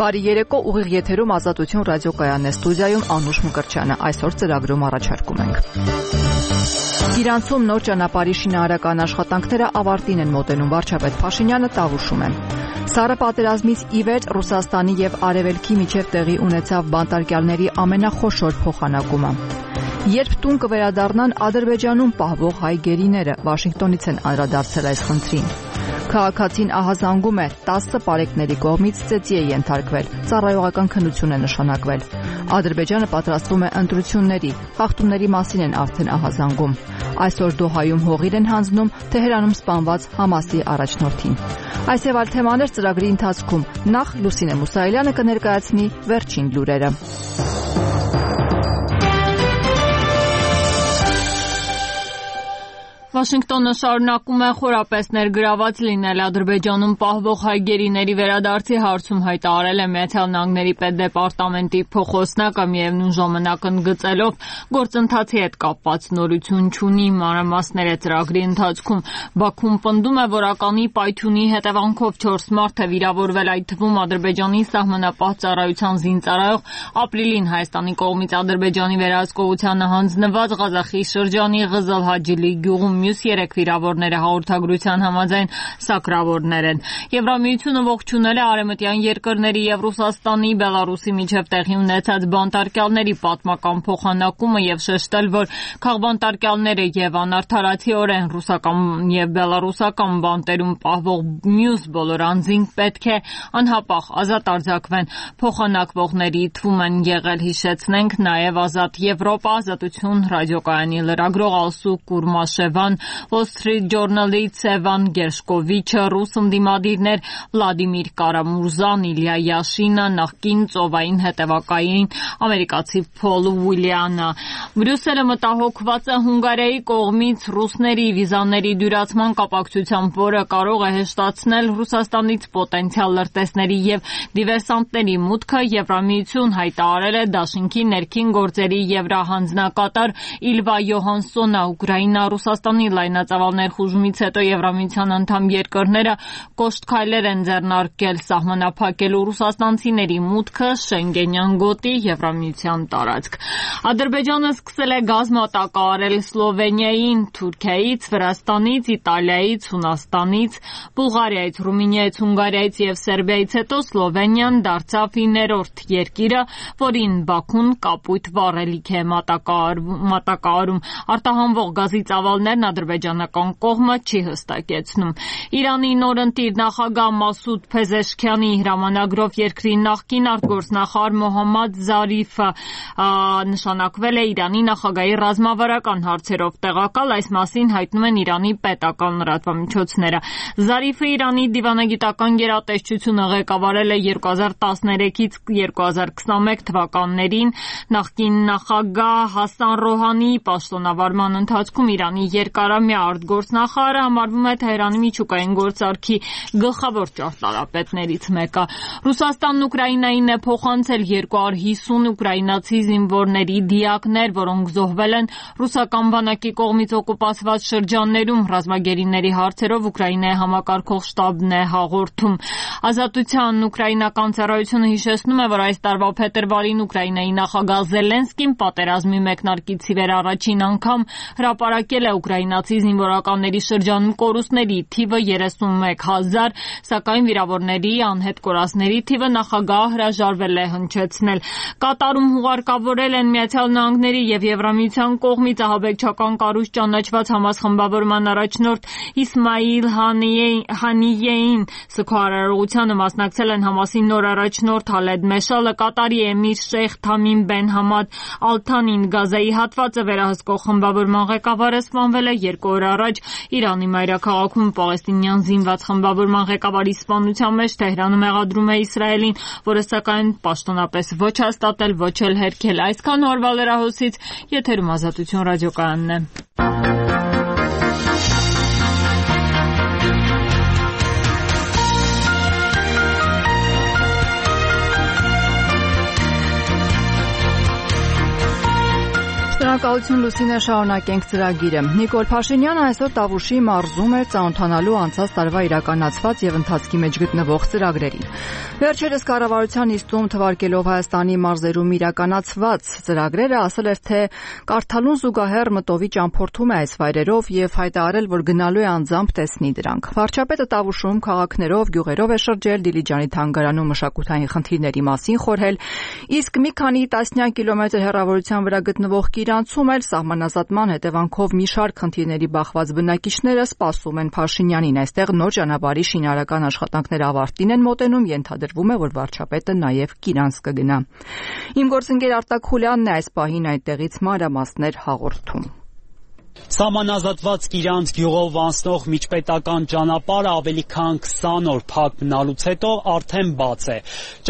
Բարի երեկո, ուղիղ եթերում Ազատություն ռադիոկայանն է, ստուդիայում Անուշ Մկրտչյանը։ Այսօր ծրագրում առաջարկում ենք. Իրանցում նոր ճանապարհի շինարարական աշխատանքները ավարտին են մոտենում, վարչապետ Փաշինյանը տաղուշում է։ Սառը պատերազմից ի վեր Ռուսաստանի եւ Արևելքի միջև տեղի ունեցավ բանտարկյալների ամենախոշոր փոխանակումը։ Երբ տուն կվերադառնան Ադրբեջանում պահվող հայ գերիները, Վաշինգտոնից են անդրադարձել այս խնդրին։ Քաղաքացին ահազանգում է, 10 պարեկների կողմից ծեծի է ենթարկվել, ծառայողական քննություն է նշանակվել։ Ադրբեջանը պատրաստվում է ընտրությունների, խախտումների մասին են արդեն ահազանգում։ Այսօր Դոհայում հողիր են հանձնում Թեհրանում սպանված Համասի առաջնորդին։ Այս եւ այլ թեմաներ ծրագրի ընթացքում, նախ Լուսինե Մուսայելյանը կներկայացնի վերջին լուրերը։ Վաշինգտոնը շարունակում է խորապես ներգրաված լինել Ադրբեջանում պահվող հայ գերիների վերադարձի հարցում, հայտարարել է Միացյալ Նահանգների պետդեպարտամենտի փոխոսնակը, միևնույն ժամանակ ընդգծելով գործընթացի հետ կապված նորություն չունի, մանրամասներ է ծրագրի ընթացքում։ Բաքուն պնդում է, որ ականի պայթյունի հետևանքով 4 մարդ է վիրավորվել, այդ թվում Ադրբեջանի սահմանապահ ծառայության զինծառայող, ապրիլին Հայաստանի կողմից Ադրբեջանի վերահսկողությանը հանձնված Ղազախի շրջանի Ղզլհաջիլի գյուղում մյուս 3 վիրավորները հաղորդագրության համաձայն սակրավորներ են։ Եվրամիությունը ողջունել է արևմտյան երկրների եւ Ռուսաստանի, Բելարուսի միջև տեղի ունեցած բանտարկյալների պատմական փոխանակումը եւ շեշտել, որ քաղբանտարկյալները եւ անարդարացիորեն ռուսական եւ բելարուսական բանտերում պահվող մյուս բոլոր անձինք պետք է անհապաղ ազատ արձակվեն։ Փոխանակվողների թվում են եղել, հիշեցնենք, նաեւ Ազատ Եվրոպա, Ազատություն ռադիոկայանի լրագրող Ալսու Կուրմաշևան, Wall Street Journal-ի Ցևան Գերշկովիչը, ռուս ընդդիմադիրներ Վլադիմիր Կարամուրզան, Իլյա Յաշինը, նախկին ծովային հետևակային ամերիկացի Փոլ Ուիլյանը։ Բրյուսելը մտահոգված է Հունգարիայի կողմից ռուսների վիզաների դյուրացման կապակցությամբ, որը կարող է հեշտացնել Ռուսաստանից պոտենցիալ լրտեսների եւ դիվերսանտների մուտքը։ Եվրամիություն հայտարարել է Դաշինքի ներքին գործերի եվրահանձնակատար Իլվա Յոհանսոնը, Ուկրաինա, Ռուսաստանի լայնածավալ ներխուժումից հետո Եվրամիության անդամ երկրները կոշտ քայլեր են ձեռնարկել սահմանափակելու ռուսաստանցիների մուտքը Շենգենյան գոտի Եվրամիության տարածք։ Ադրբեջանը սկսել է գազ մատակարարել Սլովենիային, Թուրքիայից, Վրաստանից, Իտալիայից, Հունաստանից, Բուլղարիայից, Ռումինիայից, Հունգարիայից եւ Սերբիայից հետո Սլովենիան դարձավ 9-րդ երկիրը, որին Բաքուն կապույտ վառելիք է մատակարարում։ Արտահանվող գազի ծավալներն ադրբեջանական կողմը չի հստակեցնում։ Իրանի նորընտիր նախագահ Մասուդ Փեզեշքյանի հրամանագրով երկրի նախկին արտգործնախարար Մոհամմադ Զարիֆը նշանակվել է Իրանի նախագահի ռազմավարական հարցերով տեղակալ, այս մասին հայտնում են Իրանի պետական լրատվամիջոցները։ Զարիֆը Իրանի դիվանագիտական գերատեսչությունը ղեկավարել է 2013-ից 2021 թվականներին, նախկին նախագահ Հասան Ռոհանիի պաշտոնավարման ընթացքում Իրանի երկարամյա արտգործնախարարը համարվում է Թեհրանի միջուկային գործարքի գլխավոր ճարտարապետներից մեկը։ Ռուսաստանն Ուկրաինային է փոխանցել 250 ուկրաինացի զինվորների դիակներ, որոնք զոհվել են ռուսական բանակի կողմից օկուպացված շրջաններում։ Ռազմագերիների հարցերով Ուկրաինայի համակարգող շտաբն է հաղորդում։ Ազատության ուկրաինական ծառայությունը հիշեցնում է, որ այս տարվա փետրվարին Ուկրաինայի նախագահ Զելենսկին պատերազմի մեկնարկից ի վեր առաջին անգամ հրապարակել է ուկրաինացի զինվորականների շրջանում կորուստների թիվը 31,000, սակայն վիրավորների, անհետ կորածների թիվը նախագահը հրաժարվել է հնչեցնել։ Կատարում հուղարկավորել են Միացյալ Նահանգների եւ Եվրամիության կողմից ահաբեկչական կառույց ճանաչված Համաս խմբավորման առաջնորդ Իսմայիլ Հանիեին։ Սգարարողությանը մասնակցել են Համասի նոր առաջնորդ Հալեդ Մեշալը, Կատարի էմիր Շեյխ Թամիմ բեն Համադ Ալ-Թանին, Գազայի հատվածը վերահսկող խմբավորման ղեկավարը սպանվել է 2 օր առաջ Իրանի մայրաքաղաքում պաղեստինյան զինված խմբավորման ղեկավարի սպանության մեջ Թեհրանը մեղադրում է Իսրայելին, որը սակայն պաշտոնապես ոչ հաստատել, ոչ էլ հերքել։ Այսքան օրվա լրահոսից եթերում Ազատություն ռադիոկայանն է։ Շնորհակալություն Լուսինե, շարունակենք ծրագիրը։ Նիկոլ Փաշինյանը այսօր Տավուշի մարզում էր ծանոթանալու անցած տարվա իրականացված եւ ընթացքի մեջ գտնվող ծրագրերին։ Վերջերս կառավարության նիստում թվարկելով Հայաստանի մարզերում իրականացված ծրագրերը, ասել էր, թե կարդալուն զուգահեռ մտովի ճամփորդում է այս վայրերով եւ հայտարարել, որ գնալու է անձամբ տեսնի դրանք։ Վարչապետը Տավուշում քաղաքներով, գյուղերով է շրջել, Դիլիջանի թանգարանում մշակութային խնդիրների մասին խորհել, իսկ մի քանի տասնյակ կիլոմետր հեռավորության վրա գտնվող Կիրանցում էլ սահմանազատման հետևանքով մի շարք խնդիրների բախված բնակիչները սպասում են Փաշինյանին։ Այստեղ նոր ճանապարհի շինարարական աշխատանքները ավարտին են մոտենում, ենթադրվում է, որ վարչապետը նաև Կիրանց կգնա։ Իմ գործընկեր Արտակ Խուլյանն է այս պահին այդտեղից մանրամասներ հաղորդում։ Սահմանազատված Կիրանց գյուղով անցնող միջպետական ճանապարհը ավելի քան 20 օր փակ մնալուց հետո արդեն բաց է։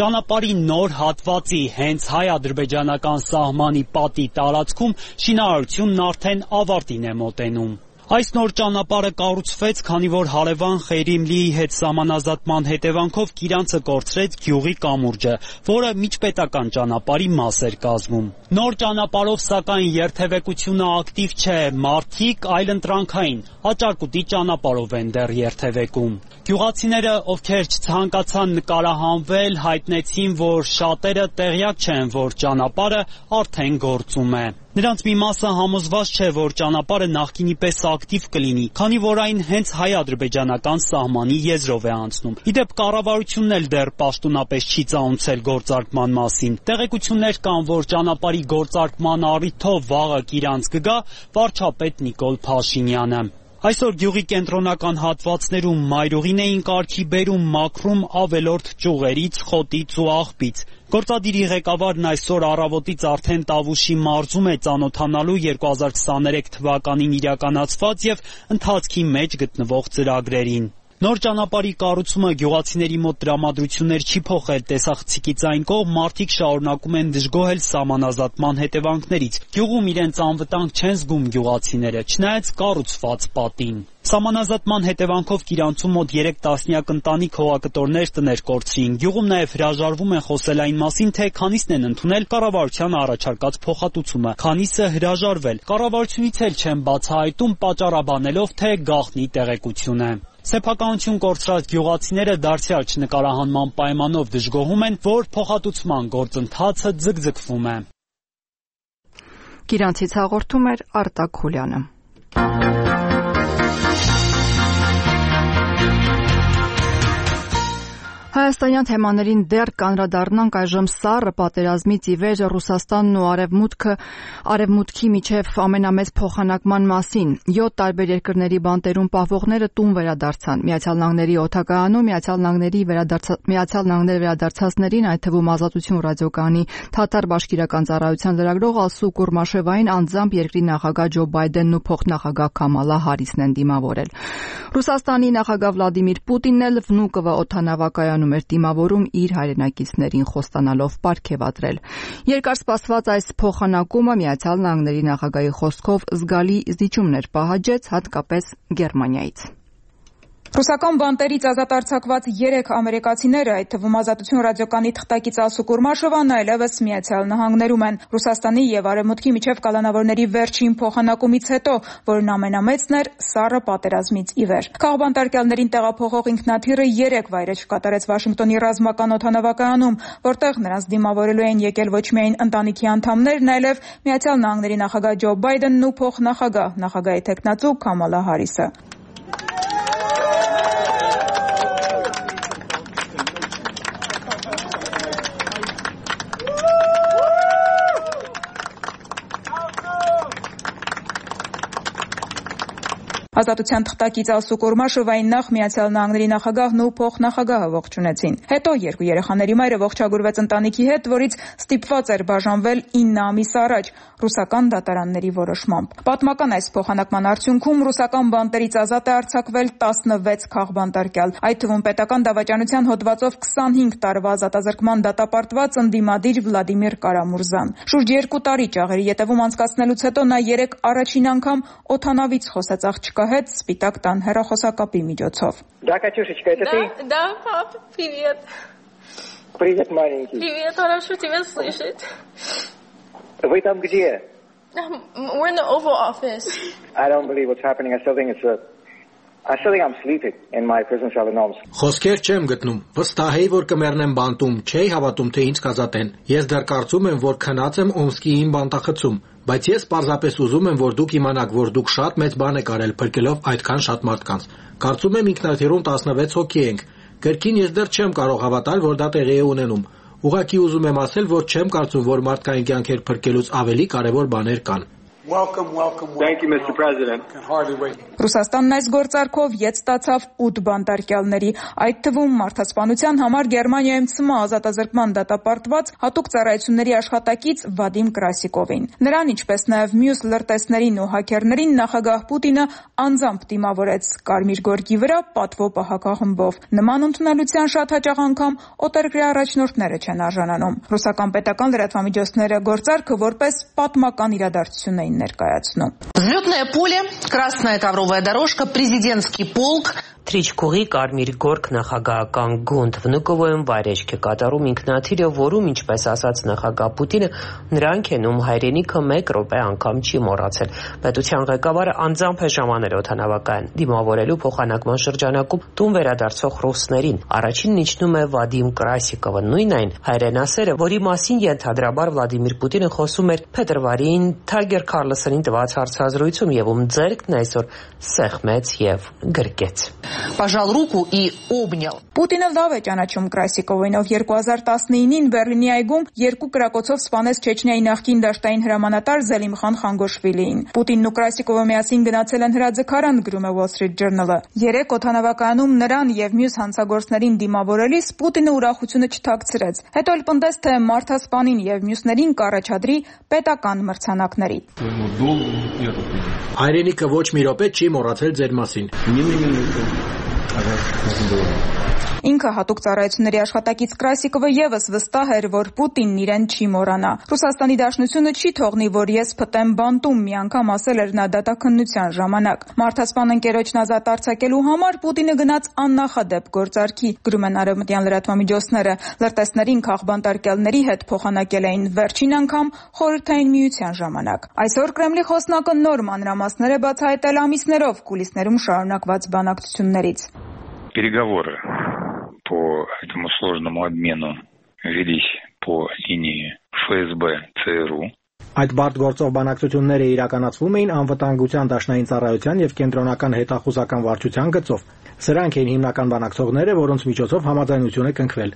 Ճանապարհի նոր հատվածի հենց հայ-ադրբեջանական սահմանի պատի տարածքում շինարարությունն արդեն ավարտին է մոտենում։ Այս նոր ճանապարհը կառուցվեց, քանի որ հարևան Խեյրիմլիի հետ սահմանազատման հետևանքով Կիրանցը կորցրեց գյուղի կամուրջը, որը միջպետական ճանապարհի մաս էր կազմում։ Նոր ճանապարհով, սակայն, երթևեկությունը ակտիվ չէ, մարդիկ այլընտրանքային, աճարկուտի ճանապարհով են դեռ երթևեկում։ Գյուղացիները, ովքեր չցանկացան նկարահանվել, հայտնեցին, որ շատերը տեղյակ չեն, որ ճանապարհը արդեն գործում է։ Նրանց մի մասը համոզված չէ, որ ճանապարհը նախկինի պես ակտիվ կլինի, քանի որ այն հենց հայ-ադրբեջանական սահմանի եզրով է անցնում։ Իդեպ կառավարությունն էլ դեռ պաշտոնապես չի ծանուցել գործարկման մասին։ Տեղեկություններ կան, որ ճանապարհի գործարկման առիթով վաղը Կիրանց կգա վարչապետ Նիկոլ Փաշինյանը։ Այսօր գյուղի կենտրոնական հատվածներում մայրուղին էին կարգի բերում, մաքրում ավելորդ ճյուղերից, խոտից ու աղբից։ Գործադիրի ղեկավարն այսօր առավոտից արդեն Տավուշի մարզում է ծանոթանալու 2023 թվականին իրականացված եւ ընթացքի մեջ գտնվող ծրագրերին։ Նոր ճանապարհի կառուցումը գյուղացիների մոտ տրամադրություններ չի փոխել, տեսախցիկից այն կողմ մարդիկ շարունակում են դժգոհել սահմանազատման հետևանքներից։ Գյուղում իրենց անվտանգ չեն զգում գյուղացիները, չնայած կառուցված պատին։ Սահմանազատման հետևանքով Կիրանցում մոտ 3 տասնյակ ընտանիք հողակտորներ տներ կորցրին։ Գյուղում նաև հրաժարվում են խոսել այն մասին, թե քանիսն են ընդունել կառավարության առաջարկած փոխհատուցումը, քանիսը հրաժարվել։ Կառավարությունից էլ չեն բացահայտում, պատճառաբանելով, թե գաղտնի տեղեկություն է։ Սեփականություն կորցրած գյուղացիները դարձյալ չնկարահանման պայմանով դժգոհում են, որ փոխհատուցման գործընթացը ձգձգվում է։ Կիրանցից հաղորդում էր Արտակ Խուլյանը։ Հայաստանյան թեմաներին դեռ կանրադառնանք այժմ սառը պատերազմից ի վեր Ռուսաստանն ու արևմուտքի միջև ամենամեծ փոխանակման մասին։ 7 տարբեր երկրների բանտերում պահվողները տուն վերադարձան։ Միացյալ Նահանգների օդակայանում Միացյալ Նահանգները վերադարձածներին, այդ թվում Ազատություն ռադիոկայանի Թաթար բաշկիրական ծառայության լրագրող Ալսու Կուրմաշևային անձամբ երկրի նախագահ Ջո Բայդենն ու փոխնախագահ Կամալա Հարիսն են դիմավորել։ Ռուսաստանի նախագահ Վլադիմիր Պուտինն էլ Վնուկովո օդանավակայանում էր դիմավորում իր հայրենակիցներին խոստանալով պարգևատրել։ Երկար սպասված այս փոխանակումը Միացյալ Նահանգների նախագահի խոսքով զգալի զիջումներ պահանջեց, հատկապես Գերմանիայից։ Ռուսական բանտերից ազատ արձակված 3 ամերիկացիները, այդ թվում Ազատություն ռադիոկայանի թղթակից Ալսու Կուրմաշովան, այլևս Միացյալ Նահանգներում են։ Ռուսաստանի եւ Արևմուտքի միջև կալանավորների վերջին փոխանակումից հետո, որն ամենամեծն էր սառը պատերազմից ի վեր։ Քաղբանտարկյալներին տեղափոխող ինքնաթիռը 3 վայրեջք կատարեց Վաշինգտոնի ռազմական օդանավակայանում, որտեղ նրանց դիմավորելու էին եկել ոչ միայն ընտանիքի անդամներն, այլև Միացյալ Նահանգների նախագահ Ջո Բայդենն ու նախագահի թեկնածու Կամալա Հարիսը։ Ազատության թղթակից Ալսու Կուրմաշովային նախ Միացյալ Նահանգների նախագահն ու փոխնախագահը ողջունեցին։ Հետո 2 երեխաների մայրը ողջագուրվեց ընտանիքի հետ, որից ստիպված էր բաժանվել 9 ամիս առաջ ռուսական դատարանների որոշմամբ։ Պատմական այս փոխանակման արդյունքում ռուսական բանտերից ազատ է արձակվել 16 քաղբանտարկյալ, այդ թվում պետական դավաճանության հոդվածով 25 տարվա ազատազրկման դատապարտված ընդդիմադիր Վլադիմիր Կարամուրզան։ Շուրջ 2 տարի ճաղերի ետևում անցկացնելուց հետո նա 3 առաջին անգամ օդանավից խոսեց աղջկա հետ Սպիտակ տան հեռախոսակապի միջոցով։ Да, Катюшечка, это ты? Да, пап, привет. Привет, маленький. Привет, хорошо тебя слышать. Вы там где? We're in the Oval Office. I don't believe what's happening. I still think I'm sleeping in my prison cell in Homs. Խոսքեր չեմ գտնում։ Վստահ էի, որ կմեռնեմ բանտում, չէի հավատում, թե ինձ կազատեն։ Ես դեռ կարծում եմ, որ քնած եմ Օմսկի իմ բանտախցում, բայց ես պարզապես ուզում եմ, որ դուք իմանաք, որ դուք շատ մեծ բան եք արել, փրկելով այդքան շատ մարդկանց։ Կարծում եմ ինքնաթիռում 16 հոգի ենք։ Կրկին ես դեռ չեմ կարող հավատալ, որ դա տեղի է ունենում։ Ուղղակի ուզում եմ ասել, որ չեմ կարծում, որ մարդկային կյանքեր փրկելուց ավելի կարևոր բաներ կան։ Thank you, Mr. President. Ռուսաստանն այս գործարքով յետ ստացավ 8 բանտարկյալների, այդ թվում մարդասպանության համար Գերմանիայում ՑՄ ազատազրկման դատապարտված հատուկ ծառայությունների աշխատակից Վադիմ Կրասիկովին։ Նրան, ինչպես նաև մյուս լրտեսներին ու հաքերներին նախագահ Պուտինը անձամբ դիմավորեց Կարմիր գորգի վրա պատվո պահակախմբով։ Նման ընդունելության շատ հաճախ անգամ օտարերկրյա առաջնորդները չեն արժանանում։ Ռուսական պետական լրատվամիջոցները գործարքը որպես պատմական իրադարձություն էին ներկայացնում։ Взлетное поле, красная ковровая дорожка, президентский полк. Թրիչկուղի Կարմիր գորգ նախագահական գունդ Վնուկովոյում վայրեջք է կատարում ինքնաթիռը, որում, ինչպես ասաց նախագահ Պուտինը, նրանք են, ում հայրենիքը 1 րոպե անգամ չի մոռացել։ Պետության ղեկավարը անձամբ է ժամանել օդանավակայան դիմավորելու փոխանակման շրջանակում տուն վերադարձող ռուսներին։ Առաջինն իջնում է Վադիմ Կրասիկովը, նույն այն հայրենասերը, որի մասին ենթադրաբար Վլադիմիր Պուտինը խոսում էր փետրվարին Թագեր Քարլսոնին տված հարցազրույցում, եւ ում ձեռքն այսօր սեղմեց եւ գրկեց։ Пожал руку и обнял. Պուտինը լավ է ճանաչում Կրասիկովին, ով 2019-ին Բեռլինի այգում 2 կրակոցով սպանեց Չեչնիայի նախկին դաշտային հրամանատար Զելիմխան Խանգոշվիլիին։ Պուտինն ու Կրասիկովը միասին գնացել են հրաձգարան, գրում է Wall Street Journal-ը։ 3 օդանավակայանում նրան եւ մյուս հանցագործներին դիմավորելիս Պուտինը ուրախությունը չթաքցրեց։ Հետո էլ պնդեց, թե մարդասպանին եւ մյուսներին կառաջադրի պետական մրցանակների։ Հայրենիքը ոչ մի րոպե չի մոռացել ձեր մասին։ Ինքը հատուկ ծառայությունների աշխատակից Կրասիկովը եւս վստահ էր, որ Պուտինն իրեն չի մոռանա։ Ռուսաստանի Դաշնությունը չի թողնի, որ ես փտեմ բանտում, մի անգամ ասել էր նա դատաքննության ժամանակ։ Մարդասպան ընկերոջն ազատ արձակելու համար Պուտինը գնաց աննախադեպ գործարքի, գրում են արևմտյան լրատվամիջոցները։ Լրտեսներին քաղբանտարկյալների հետ փոխանակել էին վերջին անգամ Խորհրդային Միության ժամանակ։ Այսօր Կրեմլի խոսնակը նոր մանրամասներ է բացահայտել ամիսներով կուլիսներում շարունակված բանակցություններից։ Переговоры по этому сложному обмену велись по линии ФСБ ЦРУ. Այդ բարդ գործող բանակցությունները իրականացվում էին անվտանգության դաշնային ծառայության եւ կենտրոնական հետախուզական վարչության գծով։ Սրանք էին հիմնական բանակցողները, որոնց միջոցով համաձայնություն է կնքվել։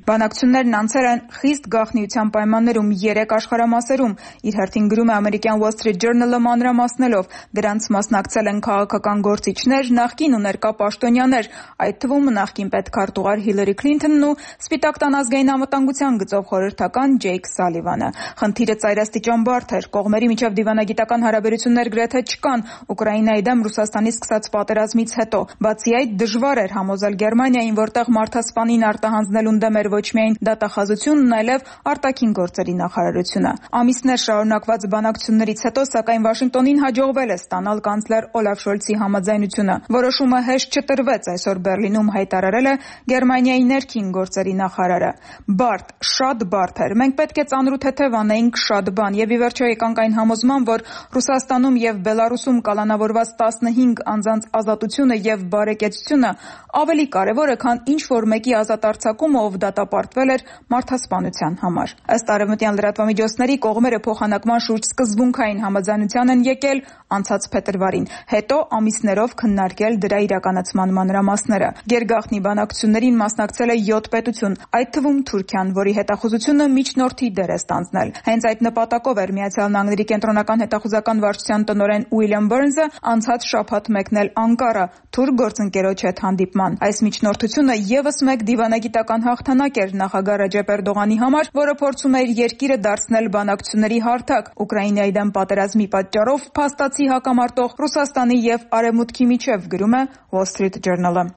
Բանակցություններն անցել են խիստ գաղտնիության պայմաններում 3 աշխարհամասերում, իր հերթին գրում է ամերիկյան Wall Street Journal-ը մանրամասնելով, դրանց մասնակցել են քաղաքական գործիչներ, նախկին ու ներկա պաշտոնյաներ, այդ թվում նախկին պետքարտուղար Հիլարի Քլինթոնն ու Սպիտակ տան ազգային անվտանգության գծով խորհրդական Ջեյք Սալիվանը։ Խնդիրը ծայրաստիճան բարդ էր, կողմերի միջև դիվանագիտական հարաբերություններ գրեթե չկան Ուկրաինայի դեմ Ռուսաստանի սկսած պատերազմից հետո։ Բացի այդ, դժվար էր համոզել Գերմանիային, որտեղ մարդասպանին արտահանձնելուն դեմ էր ոչ միայն դատախազությունն, այլև արտաքին գործերի նախարարությունը։ Ամիսներ շարունակված բանակցություններից հետո, սակայն Վաշինգտոնին հաջողվել է ստանալ կանցլեր Օլաֆ Շոլցի համաձայնությունը։ Որոշումը հեշտ չտրվեց, այսօր Բեռլինում հայտարարել է Գերմանիայի ներքին գործերի նախարարը։ Բարդ, շատ բարդ էր։ Մենք պետք է ծանրութեթև անեինք շատ բան եւ ի վերջո եկանք այն համոզման, որ Ռուսաստանում եւ Բելարուսում կալանավորված 15 անձանց ազատությունը եւ բարեկեցությունը ավելի կարեւոր է, քան ինչ որ մեկի ազատ արձակումը, ով դատապարտվել էր մարդասպանության համար։ Ըստ արևմտյան լրատվամիջոցների, կողմերը փոխանակման շուրջ սկզբունքային համաձայնության են եկել անցած փետրվարին, հետո ամիսներով քննարկել դրա իրականացման մանրամասները։ Գերգաղտնի բանակցություններին մասնակցել է 7 պետություն, այդ թվում Թուրքիան, որի հետախուզությունը միջնորդի դեր է ստանձնել։ Հենց այդ նպատակով էր Միացյալ Նահանգների կենտրոնական հետախուզական վարչության տնօրեն Ուիլյամ Բըրնսը անցած շաբաթ մեկնել Անկարա թուրք գործընկերոջ հետ հանդիպման։ Այս միջնորդությունը եւս մեկ դիվանագիտական հաղթանակ էր նախագահ Ռեջեփ Էրդողանի համար, որը փորձում է իր երկիրը դարձնել բանակցությունների հարթակ Ուկրաինայի դեմ պատերազմի պատճառով փաստացի հակամարտող Ռուսաստանի եւ Արևմուտքի միջև, գրում է Wall Street Journal-ը։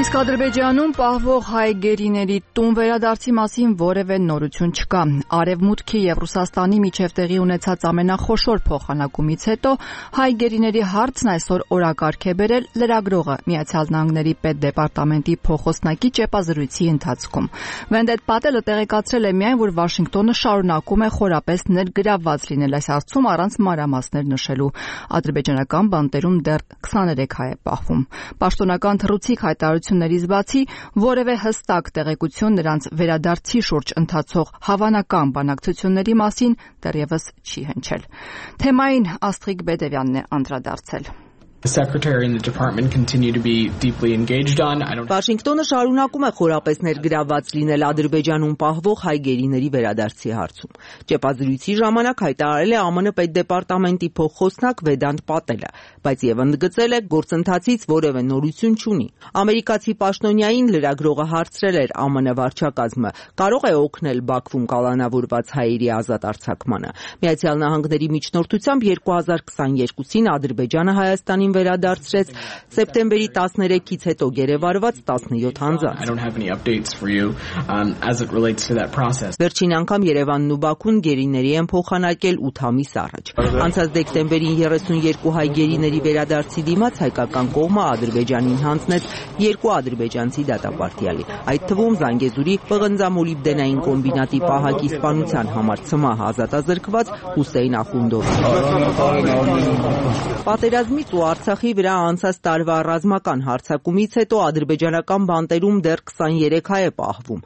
Իսկ Ադրբեջանում պահվող հայ գերիների տուն վերադարձի մասին որևէ նորություն չկա։ Արևմուտքի եւ Ռուսաստանի միջև տեղի ունեցած ամենախոշոր փոխանակումից հետո հայ գերիների հարցն այսօր օրակարգ է բերել լրագրողը Միացյալ Նահանգների պետդեպարտամենտի փոխոսնակի ճեպազրույցի ընթացքում։ Վենդետ Պատելը տեղեկացրել է միայն, որ Վաշինգտոնը շարունակում է խորապես ներգրավված լինել այս հարցում առանց մանրամասներ նշելու։ Ադրբեջանական բանտերում դեռ 23 հայ է պահվում։ Պաշտոնական թռուցիկ հայտարարություններից բացի որևէ հստակ տեղեկություն նրանց վերադարձի շուրջ ընթացող հավանական բանակցությունների մասին դեռևս չի հնչել։ Թեմային Աստղիկ Բեդևյանն է անդրադարձել։ The secretary and the department continue to be deeply engaged on. Վաշինգտոնը շարունակում է խորապես ներգրավված լինել Ադրբեջանում պահվող հայ գերիների վերադարձի հարցում։ Ճեպազրույցի ժամանակ հայտարարել է ԱՄՆ պետդեպարտամենտի փոխխոսնակ Վեդանտ Պատելը, բայց եւ ընդգծել է գործընթացից որևէ նորություն չունի։ Ամերիկացի պաշտոնյային լրագրողը հարցրել էր ԱՄՆ վարչակազմը կարող է օգնել Բաքվում կալանավորված հայերի ազատ արձակմանը։ Միացյալ Նահանգների միջնորդությամբ 2022-ին Ադրբեջանը Հայաստանի վերադարձրեց սեպտեմբերի 13-ից հետո գերեվարված 17 անձանց։ Վերջին անգամ Երևանն ու Բաքուն գերիների են փոխանակել 8 ամիս առաջ։ Անցած դեկտեմբերին 32 հայ գերիների վերադարձի դիմաց հայկական կողմը Ադրբեջանին հանձնեց 2 ադրբեջանցի դատապարտյալի, այդ թվում Զանգեզուրի պղնձամոլիբդենային կոմբինատի պահակի սպանության համար ցմահ ազատազրկված Հուսեյն Ախունդովը։ Պատերազմից ու Արցախի վրա անցած տարվա ռազմական հարձակումից հետո ադրբեջանական բանտերում դեռ 23 հայ է պահվում։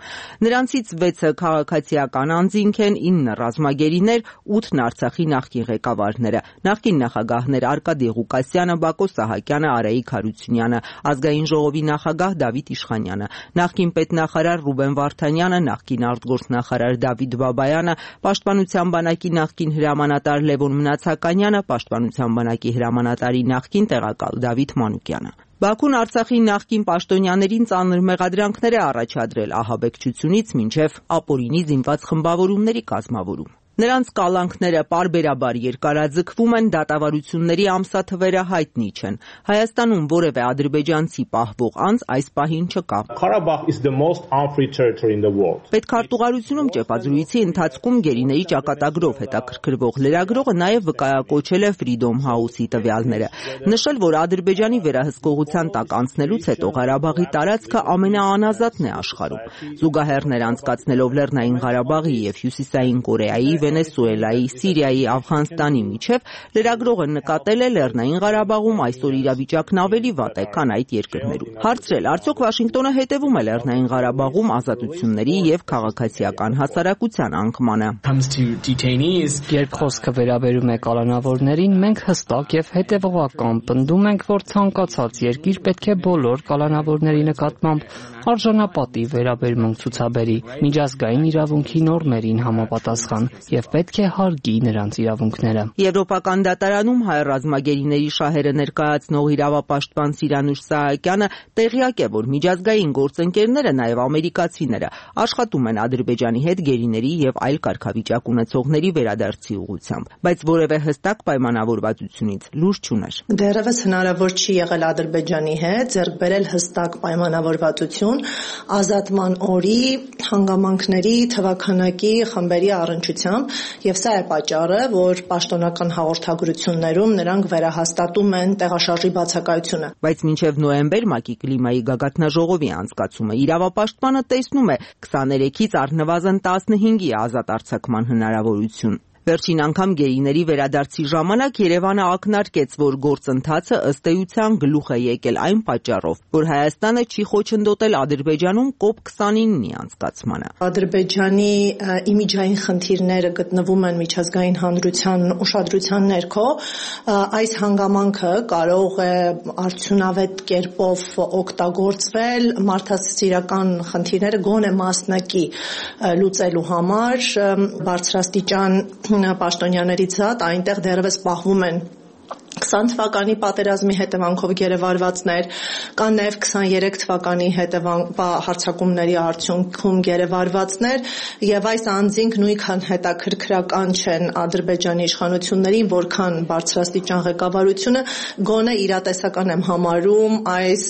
Նրանցից 6-ը քաղաքացիական անձինք են, 9 ռազմագերիներ, 8-ն Արցախի նախկին ղեկավարները, նախկին նախագահներ Արկադի Ղուկասյանը, Բակո Սահակյանը, Արայիկ Հարությունյանը, Ազգային ժողովի նախագահ Դավիթ Իշխանյանը, նախկին պետնախարար Ռուբեն Վարդանյանը, նախկին արտգործնախարար Դավիթ Բաբայանը, Պաշտպանության բանակի նախկին հրամանատար Լևոն Մնացականյանը, Պաշտպանության բանակի հրամանատարի նախկին տեղակալ Դավիթ Մանուկյանը։ Բաքուն Արցախի նախկին պաշտոնյաներին ծանր մեղադրանքներ է առաջադրել ահաբեկչությունից մինչև ապօրինի զինված խմբավորումների կազմավորում։ Նրանց կալանքները պարբերաբար երկարաձգվում են, դատավարությունների ամսաթվերը հայտնի չեն։ Հայաստանում որևէ ադրբեջանցի պահվող անձ այս պահին չկա։ Պետքարտուղարությունում ճեպազրույցի ընթացքում գերիների ճակատագրով հետաքրքրվող լրագրողը նաև վկայակոչել է Freedom House-ի տվյալները, նշել, որ Ադրբեջանի վերահսկողության տակ անցնելուց հետո Ղարաբաղի տարածքը ամենաանազատն է աշխարհում։ Զուգահեռներ անցկացնելով Լեռնային Ղարաբաղի եւ Հյուսիսային Կորեայի, Վենեսուելայի, Սիրիայի, Աֆղանստանի միջև լրագրողը նկատել է Լեռնային Ղարաբաղում այսօր իրավիճակն ավելի վատ է, քան այդ երկրներում։ Հարցրել, արդյոք Վաշինգտոնը հետևում է Լեռնային Ղարաբաղում ազատությունների եւ քաղաքացիական հասարակության անկմանը։ Երբ խոսքը վերաբերում է կալանավորներին, մենք հստակ եւ հետեւողական պնդում ենք, որ ցանկացած երկիր պետք է բոլոր կալանավորների նկատմամբ արժանապատիվ վերաբերմունք ցուցաբերի միջազգային իրավունքի նորմերին համապատասխան եւ պետք է հարգի նրանց իրավունքները։ Եվրոպական դատարանում հայ ռազմագերիների շահերը ներկայացնող իրավապաշտպան Սիրանուշ Սահակյանը տեղյակ է, որ միջազգային գործընկերները, նաեւ ամերիկացիները, աշխատում են Ադրբեջանի հետ գերիների եւ այլ կարգավիճակ ունեցողների վերադարձի ուղղությամբ, բայց որևէ հստակ պայմանավորվածությունից լուր չուներ։ Դեռևս հնարավոր չի եղել Ադրբեջանի հետ ձեռք բերել հստակ պայմանավորվածություն ազատման օրի հանգամանքների թվաքանակի խմբերի առնչությամբ, եւ սա է պատճառը, որ պաշտոնական հաղորդագրություններում նրանք վերահաստատում են տեղաշարժի բացակայությունը։ Բայց մինչև նոյեմբեր ՄԱԿ-ի կլիմայի գագաթնաժողովի անցկացումը իրավապաշտպանը տեսնում է 23-ից առնվազն 15-ի ազատ արձակման հնարավորություն։ Վերջին անգամ գերիների վերադարձի ժամանակ Երևանը ակնարկեց, որ գործընթացը ըստ էության գլուխ է եկել այն պատճառով, որ Հայաստանը չի խոչընդոտել Ադրբեջանում COP29-ի անցկացմանը։ Ադրբեջանի իմիջային խնդիրները գտնվում են միջազգային հանրության ուշադրության ներքո, այս հանգամանքը կարող է արդյունավետ կերպով օգտագործվել մարդասիրական խնդիրները գոնե մասնակի լուծելու համար, բարձրաստիճան պաշտոնյաներից զատ այնտեղ դեռևս պահվում են 20 թվականի պատերազմի հետևանքով գերեվարվածներ, կան նաև 23 թվականի հարձակումների արդյունքում գերեվարվածներ, եւ այս անձինք նույնքան հետաքրքրական չեն Ադրբեջանի իշխանություններին, որքան բարձրաստիճան ղեկավարությունը, գոնե իրատեսական եմ համարում այս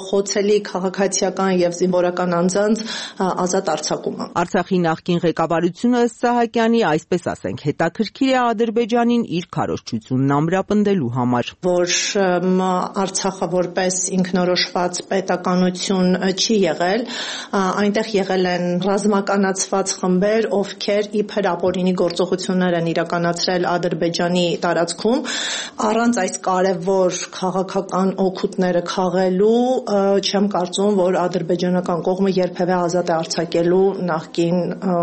խոցելի քաղաքացիական եւ զինվորական անձանց ազատ արձակումը։ Արցախի նախկին ղեկավարությունը Սահակյանի, այսպես ասենք, հետաքրքիր է Ադրբեջանին իր քարոզչությունն ամրապնդելու համար, որ Արցախը որպես ինքնորոշված պետականություն չի եղել, այնտեղ եղել են ռազմականացված խմբեր, ովքեր իբր ապօրինի գործողություններ են իրականացրել Ադրբեջանի տարածքում, առանց այս կարևոր քաղաքական օգուտները քաղելու, չեմ կարծում, որ ադրբեջանական կողմը երբևէ ազատ է արձակելու նախկին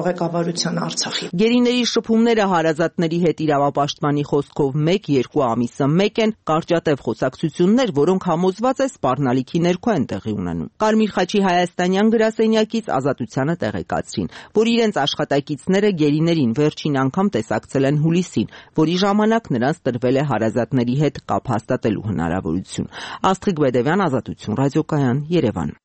ղեկավարության Արցախի։ Գերիների շփումները հարազատների հետ իրավապաշտպանի խոսքով 1-2 ամիսը մեկ են, կարճատև խոսակցություններ, որոնք համոզված է սպառնալիքի ներքո են տեղի ունենում։ Կարմիր խաչի հայաստանյան գրասենյակից Ազատությանը տեղեկացրին, որ իրենց աշխատակիցները գերիներին վերջին անգամ տեսակցել են հուլիսին, որի ժամանակ նրանց տրվել է հարազատների հետ կապ հաստատելու հնարավորություն։ Աստղիկ Բեդևյան, Ազատություն, ռադիոկայան, Երևան։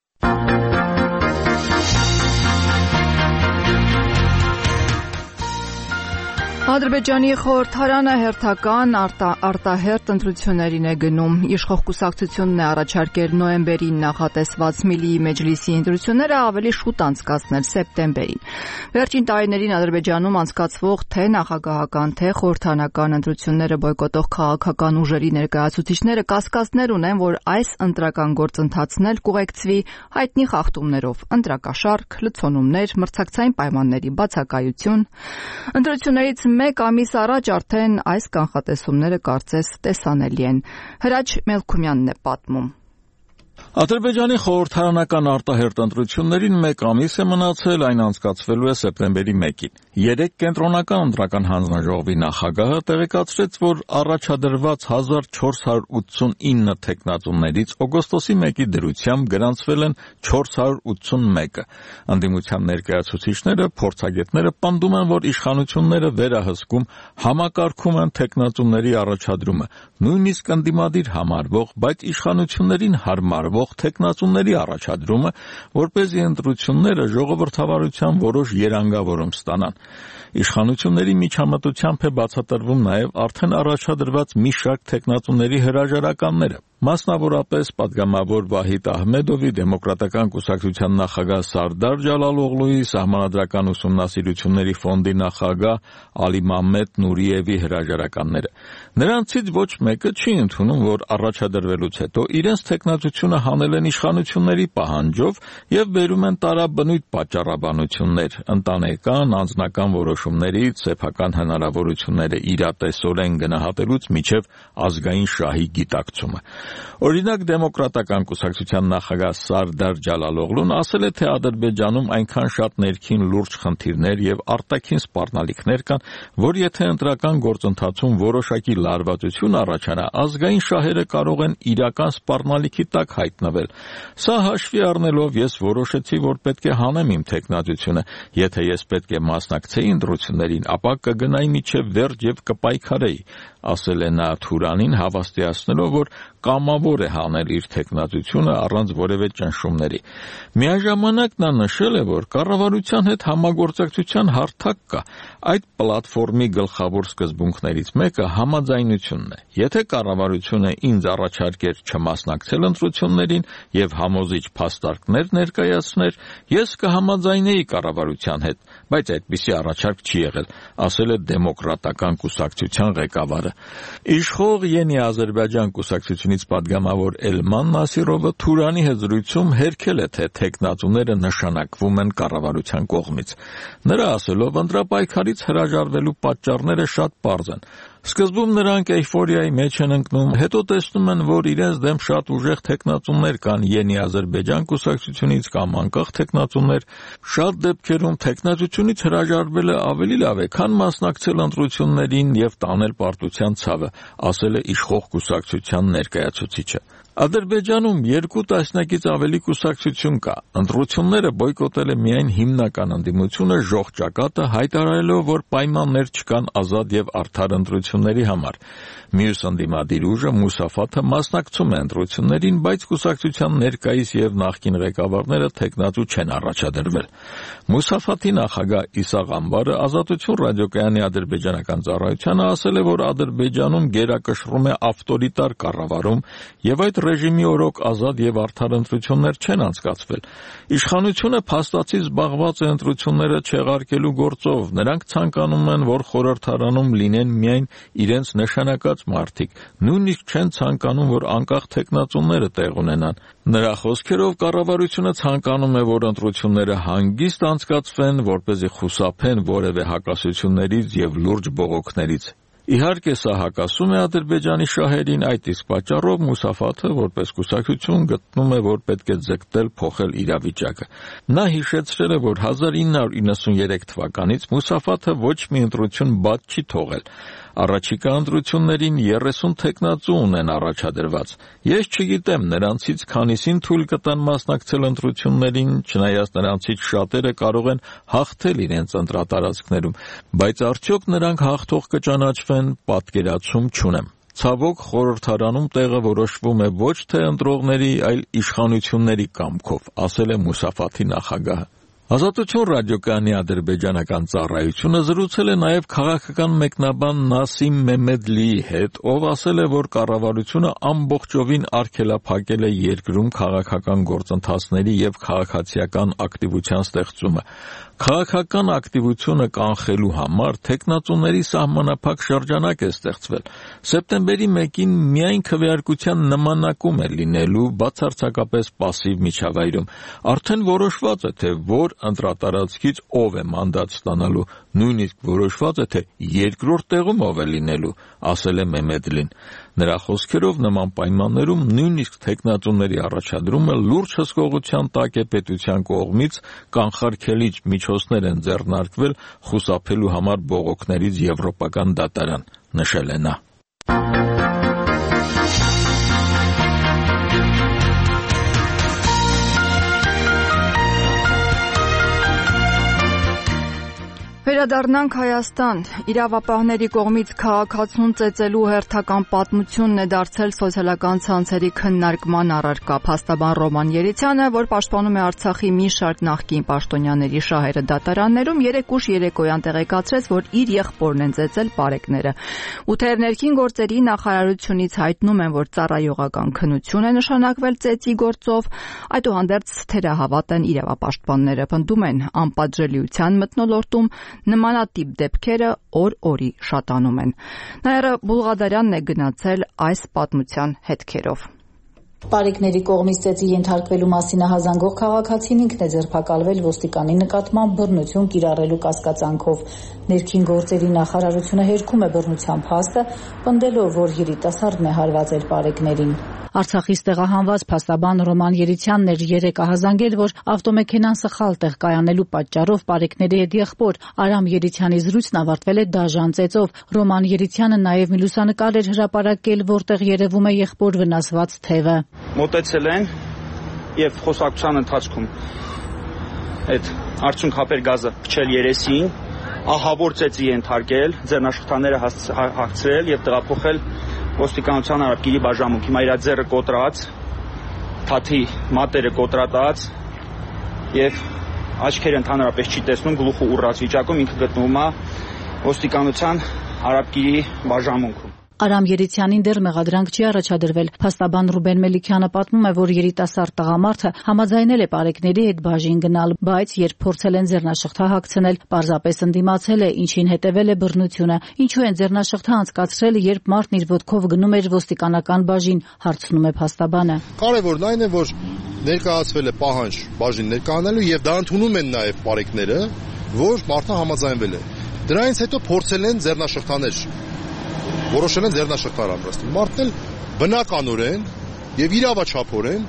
Ադրբեջանի խորհրդարանը հերթական արտահերթ ընտրություններին է գնում։ Իշխող կուսակցությունն է առաջարկել նոյեմբերին նախատեսված Միլիի մեջլիսի ընտրությունները ավելի շուտ անցկացնել սեպտեմբերին։ Վերջին տարիներին Ադրբեջանում անցկացվող թե նախագահական, թե խորհրդարանական ընտրությունները բոյկոտող քաղաքական ուժերի ներկայացուցիչները կասկածներ ունեն, որ այս ընտրական գործընթացն էլ կուղեկցվի հայտնի խախտումներով՝ ընտրակաշառք, լցոնումներ, մրցակցային պայմանների բացակայություն։ Ընտրություններից մեկ ամիս առաջ արդեն այս կանխատեսումները կարծես տեսանելի են։ Հրաչ Մելքումյանն է պատմում։ Ադրբեջանի խորհրդարանական արտահերթ ընտրություններին մեկ ամիս է մնացել, այն անցկացվելու է սեպտեմբերի 1-ին։ 3 կենտրոնական ընտրական հանձնաժողովի նախագահը տեղեկացրեց, որ առաջադրված 1489 թեկնածուներից օգոստոսի 1-ի դրությամբ գրանցվել են 481-ը։ Ընդդիմության ներկայացուցիչները, փորձագետները պնդում են, որ իշխանությունները վերահսկում, համակարգում են թեկնածուների առաջադրումը, նույնիսկ ընդդիմադիր համարվող, բայց իշխանություններին հարմարվող թեկնածուների առաջադրումը, որպեսզի ընտրությունները ժողովրդավարության որոշ երանգավորում ստանան։ Իշխանությունների միջամտությամբ է բացատրվում նաև արդեն առաջադրված մի շարք թեկնածուների հրաժարականները։ Մասնավորապես պատգամավոր Վահիդ Ահմեդովի, Դեմոկրատական կուսակցության նախագահ Սարդար Ջալալօղլուի, Սահմանադրական ուսումնասիրությունների ֆոնդի նախագահ Ալիմամեդ Նուրիևի հրաժարականները։ Նրանցից ոչ մեկը չի ընդունում, որ առաջադրվելուց հետո իրենց թեկնածությունը հանել են իշխանությունների պահանջով եւ բերում են տարաբնույթ պատճառաբանություններ, ընտանեկան, անձնական որոշումներից, սեփական հնարավորությունները իրատեսորեն գնահատելուց մինչև ազգային շահի գիտակցումը։ Օրինակ, Դեմոկրատական կուսակցության նախագահ Սարդար Ջալալօղլուն ասել է, թե Ադրբեջանում այնքան շատ ներքին լուրջ խնդիրներ եւ արտաքին սպառնալիքներ կան, որ եթե ընտրական գործընթացում որոշակի լարվածություն առաջանա, ազգային շահերը կարող են իրական սպառնալիքի տակ հայտնվել։ Սա հաշվի առնելով ես որոշեցի, որ պետք է հանեմ իմ թեկնածությունը։ Եթե ես պետք է մասնակցեի ընտրություններին, ապա կգնայի մինչև վերջ եւ կպայքարեի, ասել է նա Թուրանին, հավաստիացնելով, որ կամավոր է հանել իր թեկնածությունը առանց որևէ ճնշումների։ Միաժամանակ նա նշել է, որ կառավարության հետ համագործակցության հարթակ կա։ Այդ պլատֆորմի գլխավոր սկզբունքներից մեկը համաձայնությունն է։ Եթե կառավարությունը ինձ առաջարկեր չմասնակցել ընտրություններին եւ համոզիչ փաստարկներ ներկայացներ, ես կհամաձայնեի կառավարության հետ, բայց այդպիսի առաջարկ չի եղել, ասել է Դեմոկրատական կուսակցության ղեկավարը։ Իշխող Յենի Ադրբեջան կուսակցությունից պատգամավոր Էլման Նասիրովը Թուրանի հետ զրույցում հերքել է, թե թեկնածուները նշանակվում են կառավարության կողմից։ Նրա ասելով, ընտրապայքարից հրաժարվելու պատճառները շատ պարզ են։ Սկզբում նրանք էյֆորիայի մեջ են ընկնում, հետո տեսնում են, որ իրենց դեմ շատ ուժեղ թեկնածուներ կան Յենի Ադրբեջան կուսակցությունից կամ անկախ թեկնածուներ։ Շատ դեպքերում թեկնածությունից հրաժարվելը ավելի լավ է, քան մասնակցել ընտրություններին եւ տանել պարտության ցավը, ասել է իշխող կուսակցության ներկայացուցիչը։ Ադրբեջանում 2 տասնյակից ավելի կուսակցություն կա։ Ընտրությունները բոյկոտել է միայն հիմնական ընդդիմությունը ժողջակատը, հայտարարելով, որ պայմաններ չկան ազատ եւ արդար ընտրությունների համար։ Մյուս ընդդիմադիր ուժը Մուսաֆաթը մասնակցում է ընտրություններին, բայց կուսակցության ներկայիս եւ նախկին ղեկավարները թեկնածու չեն առաջադրվել։ Մուսաֆաթի նախագահ Իսաղ Ամբարը Ազատություն ռադիոկայանի ադրբեջանական ծառայությանը ասել է, որ Ադրբեջանում գերակշռում է ավտորիտար կառավարում եւ այդ ռեժիմի օրոք ազատ եւ արդար ընտրություններ չեն անցկացվել։ Իշխանությունը փաստացի զբաղված է ընտրությունները չեղարկելու գործով։ Նրանք ցանկանում են, որ խորհրդարանում լինեն միայն իրենց նշանակած մարդիկ, նույնիսկ չեն ցանկանում, որ անկախ թեկնածուները տեղ ունենան։ Նրա խոսքերով կառավարությունը ցանկանում է, որ ընտրությունները հանգիստ անցկացվեն, որպեսզի խուսափեն որևէ հակասություններից եւ լուրջ բողոքներից։ Իհարկե, սա հակասում է Ադրբեջանի շահերին, այդ իսկ պատճառով Մուսաֆաթը որպես կուսակցություն գտնում է, որ պետք է ձգտել փոխել իրավիճակը։ Նա հիշեցրել է, որ 1993 թվականից Մուսաֆաթը ոչ մի ընտրություն բաց չի թողել։ Առաջիկա ընտրություններին 30 թեկնածու ունեն առաջադրված։ Ես չգիտեմ նրանցից քանիսին թույլ կտան մասնակցել ընտրություններին, չնայած նրանցից շատերը կարող են հաղթել իրենց ընտրատարածքներում, բայց արդյոք նրանք հաղթող կճանաչվեն, պատկերացում չունեմ։ Ցավոք, խորհրդարանում տեղը որոշվում է ոչ թե ընտրողների, այլ իշխանությունների կամքով, ասել է Մուսաֆաթի նախագահը։ Ազատություն ռադիոկայանի ադրբեջանական ծառայությունը զրուցել է նաև քաղաքական մեկնաբան Նասիմ Մեմեդլիի հետ, ով ասել է, որ կառավարությունը ամբողջովին արգելափակել է երկրում քաղաքական գործընթացների եւ քաղաքացիական ակտիվության ստեղծումը։ Քաղաքական ակտիվությունը կանխելու համար թեկնածուների սահմանափակ շրջանակ է ստեղծվել։ Սեպտեմբերի 1-ին միայն քվեարկության նմանակում է լինելու բացարձակապես պասիվ միջավայրում։ Արդեն որոշված է, թե որ ընտրատարածքից ով է մանդատ ստանալու, նույնիսկ որոշված է, թե երկրորդ տեղում ով է լինելու, ասել է Մեմեդլին։ Նրա խոսքերով նման պայմաններում նույնիսկ թեկնածուների առաջադրումը լուրջ հսկողության տակ է պետության կողմից, կանխարգելիչ միջոցներ են ձեռնարկվել խուսափելու համար բողոքներից եվրոպական դատարան, նշել է նա։ Վերադառնանք Հայաստան։ Իրավապահների կողմից քաղաքացուն ծեծելու հերթական պատմությունն է դարձել սոցիալական ցանցերի քննարկման առարկա։ Փաստաբան Ռոման Երիցյանը, որ պաշտպանում է Արցախի մի շարք նախկին պաշտոնյաների շահերը դատարաններում, երեկ ուշ երեկոյան տեղեկացրեց, որ իր եղբորն են ծեծել պարեկները։ Ու թեև ներքին գործերի նախարարությունից հայտնում են, որ ծառայողական քննություն է նշանակվել ծեծի գործով, այդուհանդերձ թերահավատ են իրավապաշտպանները, պնդում են անպատժելիության մթնոլորտում նմանատիպ դեպքերը օր-օրի շատանում են։ Նաիրա Բուլղադարյանն է գնացել այս պատմության հետքերով։ Պարեկների կողմից ծեծի ենթարկվելու մասին հազանգող քաղաքացին ինքն է ձերբակալվել ոստիկանի նկատմամբ բռնություն կիրառելու կասկածանքով։ Ներքին գործերի նախարարությունը հերքում է բռնության փաստը, պնդելով, որ երիտասարդն է հարվածել պարեկներին։ Արցախից տեղահանված փաստաբան Ռոման Երիցյանն էր երեկ ահազանգել, որ ավտոմեքենան սխալ տեղ կայանելու պատճառով պարեկների հետ եղբոր Արամ Երիցյանի զրույցն ավարտվել է դաժան ծեծով։ Ռոման Երիցյանը նաև մի լուսանկար էր հրապարակել, որտեղ երևում է եղբոր վնասված թևը։ Մոտեցել են եւ խոսակցության ընթացքում այդ արդյունք հապեր գազը փչել երեսին, ահավոր ծեծի ենթարկել, ձեռնաշխտաները հագցրել եւ տեղափոխել ոստիկանության արաբկիրի բաժանմունք։ Հիմա իր ձեռը կոտրած, թաթի մատերը կոտրատած եւ աչքերը ընդհանրապես չի տեսնում, գլուխը ուռած վիճակում ինքը գտնվում է ոստիկանության արաբկիրի բաժանմունքում։ Արամ Երիցյանին դեռ մեղադրանք չի առաջադրվել։ Փաստաբան Ռուբեն Մելիքյանը պատմում է, որ երիտասարդ տղամարդը համաձայնել է պարեկների հետ բաժին գնալ, բայց երբ փորձել են ձեռնաշղթա հագցնել, պարզապես ընդդիմացել է, ինչին հետևել է բռնությունը։ Ինչու են ձեռնաշղթա անցկացրել, երբ մարդն իր ոտքով գնում էր ոստիկանական բաժին, հարցնում է փաստաբանը։ Կարևորն այն է, որ ներկայացվել է պահանջ բաժին ներկայանալու եւ դա ընդունում են նաեւ պարեկները, որ մարդը համաձայնվել է։ Դրանից հետո փորձել են ձեռնաշղթաներ որոշել են ձեռնաշղթար ամրացնել։ Մարդն էլ բնականորեն եւ իրավաչափորեն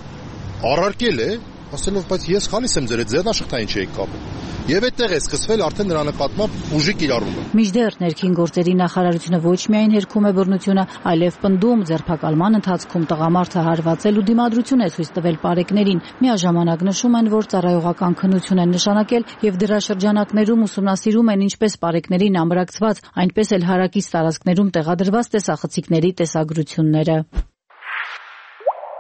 առարկել է, ասելով, բայց ես խալիս եմ ձեր այդ ձեռնաշղթային չէի կապել։ եւ այդտեղ է սկսվել արդեն նրա նկատմամբ ուժի կիրառումը։ Մինչդեռ ներքին գործերի նախարարությունը ոչ միայն հերքում է բռնությունը, այլև պնդում ձերբակալման ընթացքում տղամարդը հարվածել ու դիմադրություն է ցույց տվել պարեկներին։ Միաժամանակ նշում են, որ ծառայողական քննություն են նշանակել եւ դրա շրջանակներում ուսումնասիրում են ինչպես պարեկներին ամրակցված, այնպես էլ հարակից տարածքներում տեղադրված տեսախցիկների տեսագրությունները։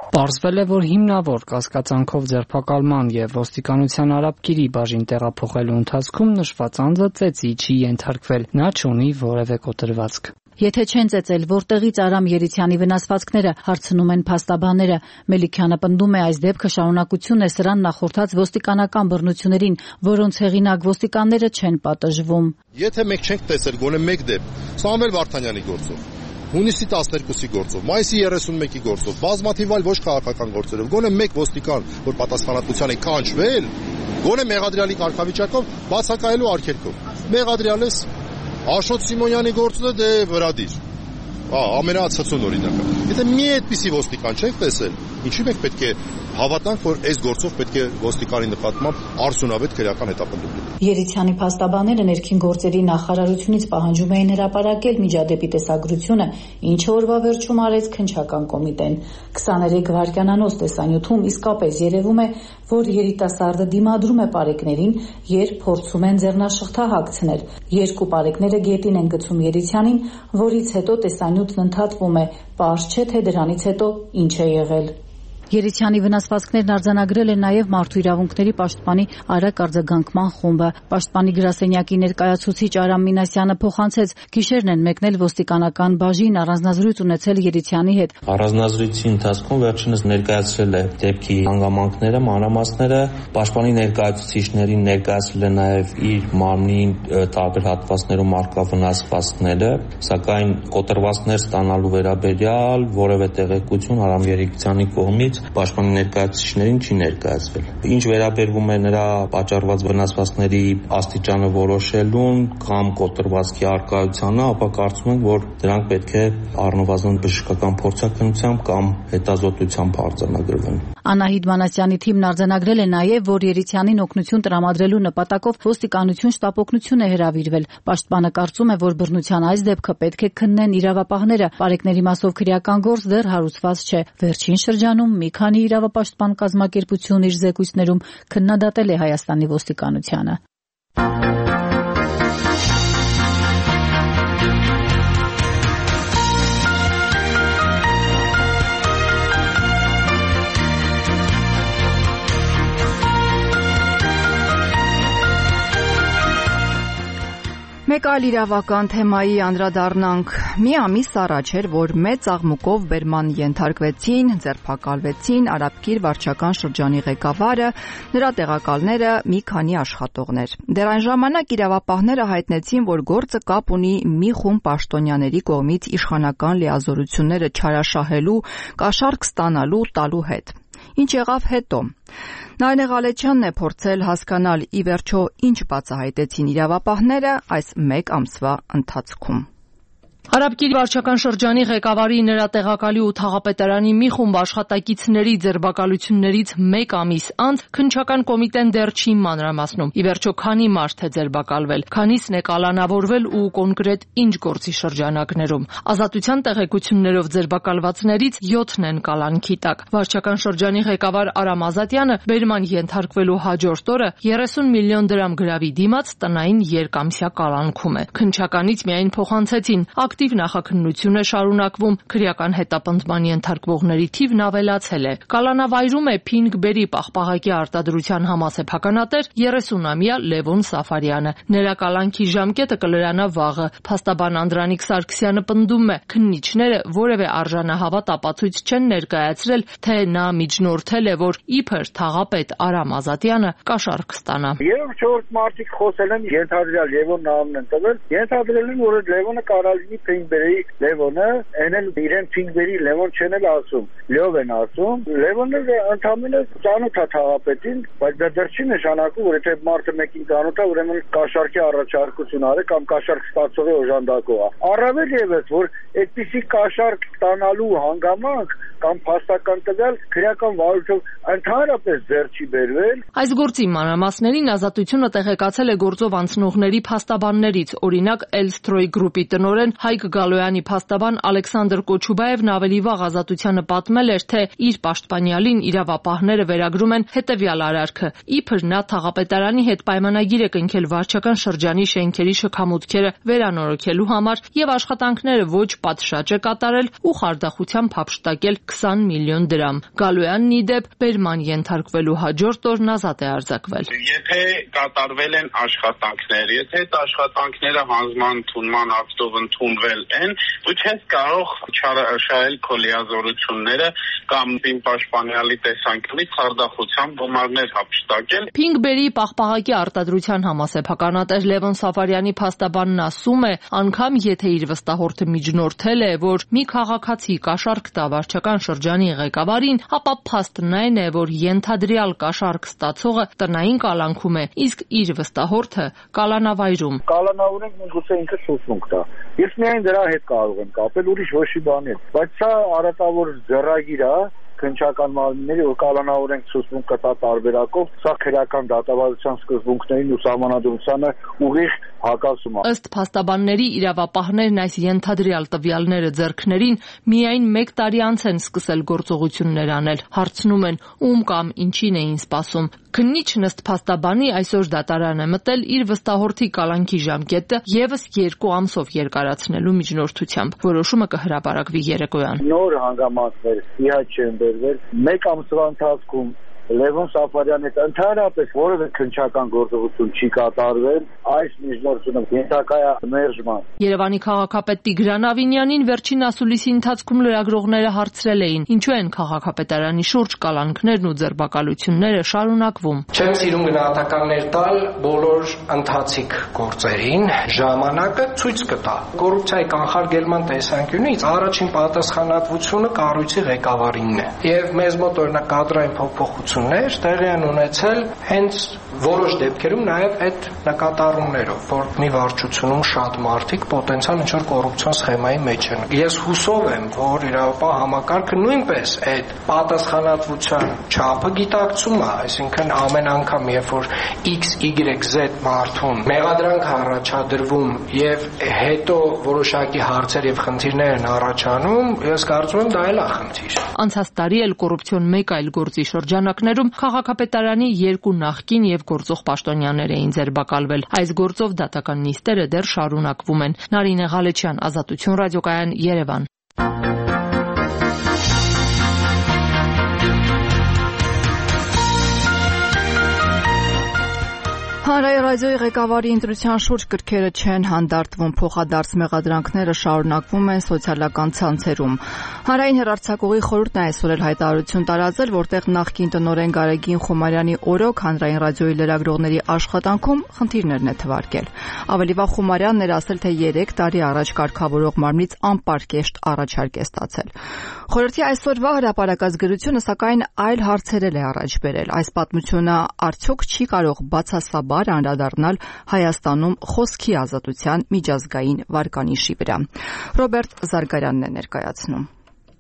Պարզվել է, որ հիմնավոր կասկածանքով ձերբակալման եւ ոստիկանության արաբկիրի բաժին տեղափոխելու ընթացքում նշված անձը ծեծի չի ենթարկվել, նա չունի որևէ կոտրվածք։ Եթե չեն ծեծել, որտեղից Արամ Երիցյանի վնասվածքները, հարցնում են փաստաբանները։ Մելիքյանը պնդում է, այս դեպքը շարունակություն է սրան նախորդած ոստիկանական բռնություններին, որոնց հեղինակ ոստիկանները չեն պատժվում։ Եթե մենք չենք տեսել գոնե մեկ դեպք, Սամվել Վարդանյանի գործով, հունիսի 12-ի գործով, մայիսի 31-ի գործով, բազմաթիվ այլ ոչ քաղաքական գործերով, գոնե մեկ ոստիկան, որ պատասխանատվության է կանչվել, գոնե մեղադրյալի կարգավիճակով բացակայելու արգելքով։ Մեղադրյալս Աշոտ Սիմոնյանի գործը դե վրադիր։ Ամենացածուն օրինակը։ Եթե մի այդպիսի ոստիկան չենք տեսել, ինչի՞ մենք պետք է հավատանք, որ այս գործով պետք է ոստիկանի նկատմամբ արդյունավետ քրեական հետապնդում լինի։ Երիցյանի փաստաբանները ներքին գործերի նախարարությունից պահանջում էին հրապարակել միջադեպի տեսագրությունը, ինչը օրվա վերջում արեց քննչական կոմիտեն։ 23 վայրկյանանոց տեսանյութում իսկապես երևում է, որ երիտասարդը դիմադրում է պարեկներին, երբ փորձում են ձեռնաշղթա հագցնել։ Երկու պարեկները գետին են գցում Երիցյանին, որից հետո տեսանյութն ընդհատվում է, պարզ չէ, թե դրանից հետո ինչ է եղել։ Երիցյանի վնասվածքներն արձանագրել է նաև Մարդու իրավունքների պաշտպանի արագ արձագանքման խումբը։ Պաշտպանի գրասենյակի ներկայացուցիչ Արամ Մինասյանը փոխանցեց, գիշերն են մեկնել ոստիկանական բաժին առանձնազրույց ունեցել Երիցյանի հետ։ Առանձնազրույցի ընթացքում վերջինս ներկայացրել է դեպքի հանգամանքները, մանրամասները, պաշտպանի ներկայացուցիչներին ներկայացրել է նաև իր մարմնի տարբեր հատվածներում առկա վնասվածքները, սակայն կոտրվածքներ ստանալու վերաբերյալ որևէ տեղեկություն Արամ Երիցյանի կողմից պաշտպանի ներկայացուցիչներին չի ներկայացվել։ Ինչ վերաբերվում է նրա պատճառված վնասվածքների աստիճանը որոշելուն կամ կոտրվածքի առկայությանը, ապա կարծում ենք, որ դրանք պետք է առնվազն բժշկական փորձաքննությամբ կամ հետազոտությամբ արձանագրվեն։ Անահիտ Մանասյանի թիմն արձանագրել է նաև, որ Երիցյանին օգնություն տրամադրելու նպատակով ոստիկանություն շտապօգնություն է հրավիրվել։ Պաշտպանը կարծում է, որ բռնության այս դեպքը պետք է քննեն իրավապահները։ Պարեկների մասով քրեական գործ դեռ հարուցված չէ։ Վերջին շրջանում մի քանի իրավապաշտպան կազմակերպություն իր զեկույցներում քննադատել է Հայաստանի ոստիկանությանը։ Մեկ այլ իրավական թեմայի անդրադառնանք։ Մի ամիս առաջ էր, որ մեծ աղմուկով բերման ենթարկվեցին, ձերբակալվեցին Արաբկիր վարչական շրջանի ղեկավարը, նրա տեղակալները, մի քանի աշխատողներ։ Դեռ այն ժամանակ իրավապահները հայտնեցին, որ գործը կապ ունի մի խումբ պաշտոնյաների կողմից իշխանական լիազորությունները չարաշահելու, կաշառք ստանալու տալու հետ։ Ինչ եղավ հետո։ Նարինե Ղալեչյանն է փորձել հասկանալ ի վերջո ինչ բացահայտեցին իրավապահները այս մեկ ամսվա ընթացքում։ Արաբկիր վարչական շրջանի ղեկավարի, նրա տեղակալի ու թաղապետարանի մի խումբ աշխատակիցների ձերբակալություններից մեկ ամիս անց քննչական կոմիտեն դեռ չի մանրամասնում։ Ի վերջո քանի մարդ է ձերբակալվել, քանիսն է կալանավորվել ու կոնկրետ ինչ գործի շրջանակներում։ Ազատության տեղեկություններով ձերբակալվածներից 7-ն են կալանքի տակ։ Վարչական շրջանի ղեկավար Արամ Ազատյանը բերման ենթարկվելու հաջորդ օրը 30 միլիոն դրամ գրավի դիմաց տնային երկամսյա կալանքում է։ Քննչականից միայն փոխանցեցին ակտիվ նախաքննություն է շարունակվում, քրեական հետապնդման ենթարկվողների թիվն ավելացել է։ Կալանավայրում է Փինգբերի պաղպաղակի արտադրության համասեփականատեր 30-ամյա Լևոն Սաֆարյանը։ Նրա կալանքի ժամկետը կլրանա վաղը։ Փաստաբան Անդրանիկ Սարգսյանը պնդում է, քննիչները որևէ արժանահավատ ապացույց չեն ներկայացրել, թե նա միջնորդել է, որ իբր թաղապետ Արամ Ազատյանը կաշառք ստանա։ Երբ 4 մարդիկ խոսել են, ենթադրյալ Լևոնն անունն են տվել, ենթադրել են, որ Լևոնը կարալինի Փինգբերի Լևոնը, այնել իրեն Փինգբերի Լևոն չեն էլ ասում, Լյով են ասում։ Լևոնը ընդհանրապես ծանոթ է թաղապետին, բայց դա դեռ չի նշանակում, որ եթե մարդը մեկին ծանոթ է, ուրեմն կաշառքի առաջարկություն արի կամ կաշառք ստացողի օժանդակող է։ Առավել ևս, որ այդպիսի կաշառք ստանալու հանգամանք կամ փաստական տվյալ քրեական վարույթով ընդհանրապես ձեռ չի բերվել։ Այս գործի մանրամասներին ազատությունը տեղեկացել է գործով անցնողների փաստաբաններից, օրինակ Elstroi գրուպի տնօրեն Հայկ Գալոյանի փաստաբան Ալեքսանդր Կոչուբաևն ավելի վաղ ազատությանը պատմել էր, թե իր պաշտպանյալին իրավապահները վերագրում են հետևյալ արարքը. իբր նա թաղապետարանի հետ պայմանագիր է կնքել վարչական շրջանի շենքերի շքամուտքերը վերանորոգելու համար եւ աշխատանքները ոչ պատշաճ է կատարել ու խարդախությամբ հափշտակել 20 միլիոն դրամ։ Գալոյանն ի դեպ բերման ենթարկվելու հաջորդ օրն ազատ է արձակվել։ Եթե կատարվել են աշխատանքներ, եթե այդ աշխատանքները հանձնման ընդունման ակտով ընդունվել են, դու չես կարող չարաշահել քո լիազորությունները կամ պաշտպանյալի տեսանկյունից խարդախությամբ գումարներ հափշտակել։ Փինգբերի պաղպաղակի արտադրության համասեփականատեր Լևոն Սաֆարյանի փաստաբանն ասում է, անգամ եթե իր վստահորդը միջնորդել է, որ մի քաղաքացի կաշառք տա վարչական շրջանի ղեկավարին, ապա փաստն այն է, որ ենթադրյալ կաշառք ստացողը տնային կալանքում է, իսկ իր վստահորդը կալանավայրում։ Կալանավորենք միգուցե ինքը սուսունք տա։ Ես միայն դրա հետ կարող եմ կապել, ուրիշ ոչ մի բան էլ։ Բայց սա արատավոր ձեռագիր է քննչական մարմինների, որ կալանավորենք սուսունք կտա տարբերակով, սա քրեական դատավարության սկզբունքներին ու սահմանադրությանը ուղիղ հակասում է։ Ըստ փաստաբանների իրավապահներն այս ենթադրյալ տվյալները ձեռքներին միայն 1 տարի անց են սկսել գործողություններ անել։ Հարցնում են, ում կամ ինչին էին սպասում։ Քննիչն ըստ փաստաբանի այսօր դատարան է մտել իր վստահորդի կալանքի ժամկետը եւս 2 ամսով երկարացնելու միջնորդությամբ։ Որոշումը կհրապարակվի երեկոյան։ Նոր հանգամանքներ իհաց չեն բերվել 1 ամսվա ընթացքում Լևոն Սաֆարյանի հետ ընդհանրապես որևէ քննչական գործողություն չի կատարվել, այս միջնորդությունը ենթակա է մերժման։ Երևանի քաղաքապետ Տիգրան Ավինյանին վերջին ասուլիսի ընթացքում լրագրողները հարցրել էին, ինչու են քաղաքապետարանի շուրջ կալանքներն ու ձերբակալությունները շարունակվում։ Չեմ սիրում գնահատականներ տալ բոլոր ընթացիկ գործերին, ժամանակը ցույց կտա։ Կոռուպցիայի կանխարգելման տեսանկյունից առաջին պատասխանատվությունը կառույցի ղեկավարինն է։ Եվ մեզ մոտ օրինակ կադրային փոփոխություն տեղի են ունեցել հենց որոշ դեպքերում նաև այդ նկատառումներով, որ մի վարչությունում շատ մարդիկ պոտենցիալ ինչ-որ կոռուպցիոն սխեմայի մեջ են։ Ես հուսով եմ, որ իրավապահ համակարգը նույնպես այդ պատասխանատվության չափը գիտակցում է, այսինքն ամեն անգամ, երբ որ XYZ մարդուն մեղադրանք առաջադրվում եւ հետո որոշակի հարցեր եւ խնդիրներ են առաջանում, ես կարծում եմ դա էլ է խնդիր։ Անցած տարի էլ կոռուպցիոն մեկ այլ գործի շրջանակներում քաղաքապետարանի 2 նախկին եւ գործող պաշտոնյաներ էին ձերբակալվել։ Այս գործով դատական նիստերը դեռ շարունակվում են։ Նարինե Ղալեչյան, Ազատություն ռադիոկայան, Երևան։ Հանրային ռադիոյի ղեկավարի ընտրության շուրջ գրքերը չեն հանդարտվում, փոխադարձ մեղադրանքները շարունակվում են սոցիալական ցանցերում։ Հանրային հեռարձակողի խորհուրդն այսօր էլ հայտարարություն տարածել, որտեղ նախկին տնօրեն Գարեգին Խումարյանի օրոք հանրային ռադիոյի լրագրողների աշխատանքում խնդիրներն է թվարկել։ Ավելի վաղ Խումարյանն էր ասել, թե 3 տարի առաջ կարգավորող մարմնից անպարկեշտ առաջարկ է ստացել։ Խորհրդի այսօրվա հրապարակած գրությունը սակայն այլ հարցեր է առաջ բերել։ Այս պատմությունը արդյոք չի կարող բացասաբար անդրադառնալ Հայաստանում խոսքի ազատության միջազգային վարկանիշի վրա։ Ռոբերտ Զարգարյանն է ներկայացնում։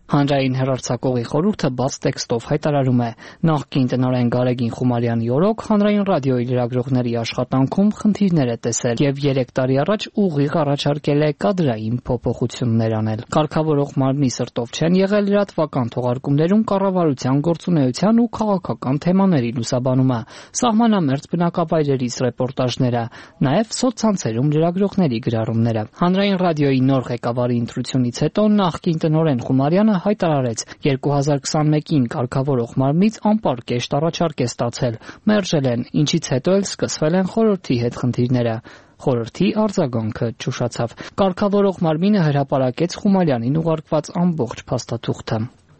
Հանրային հեռարձակողի խորհուրդը բաց տեքստով հայտարարում է. նախկին տնօրեն Գարեգին Խումարյանի օրոք հանրային ռադիոյի լրագրողների աշխատանքում խնդիրներ է տեսել եւ 3 տարի առաջ ուղիղ առաջարկել է կադրային փոփոխություններ անել։ Կարգավորող մարմնի սրտով չեն եղել լրատվական թողարկումներում կառավարության գործունեության ու քաղաքական թեմաների լուսաբանումը, սահմանամերձ բնակավայրերից ռեպորտաժները, նաեւ սոցցանցերում լրագրողների գրառումները։ Հանրային ռադիոյի նոր ղեկավարի ընտրությունից հետո նախկին տնօրեն Խումարյանը հայտարարեց 2021-ին կարգավորող մարմնից անպարկեշտ առաջարկ է ստացել, մերժել են, ինչից հետո էլ սկսվել են խորհրդի հետ խնդիրները։ Խորհրդի արձագանքը ճուշացավ։ Կարգավորող մարմինը հրապարակեց Խումարյանին ուղարկված ամբողջ փաստաթուղթը։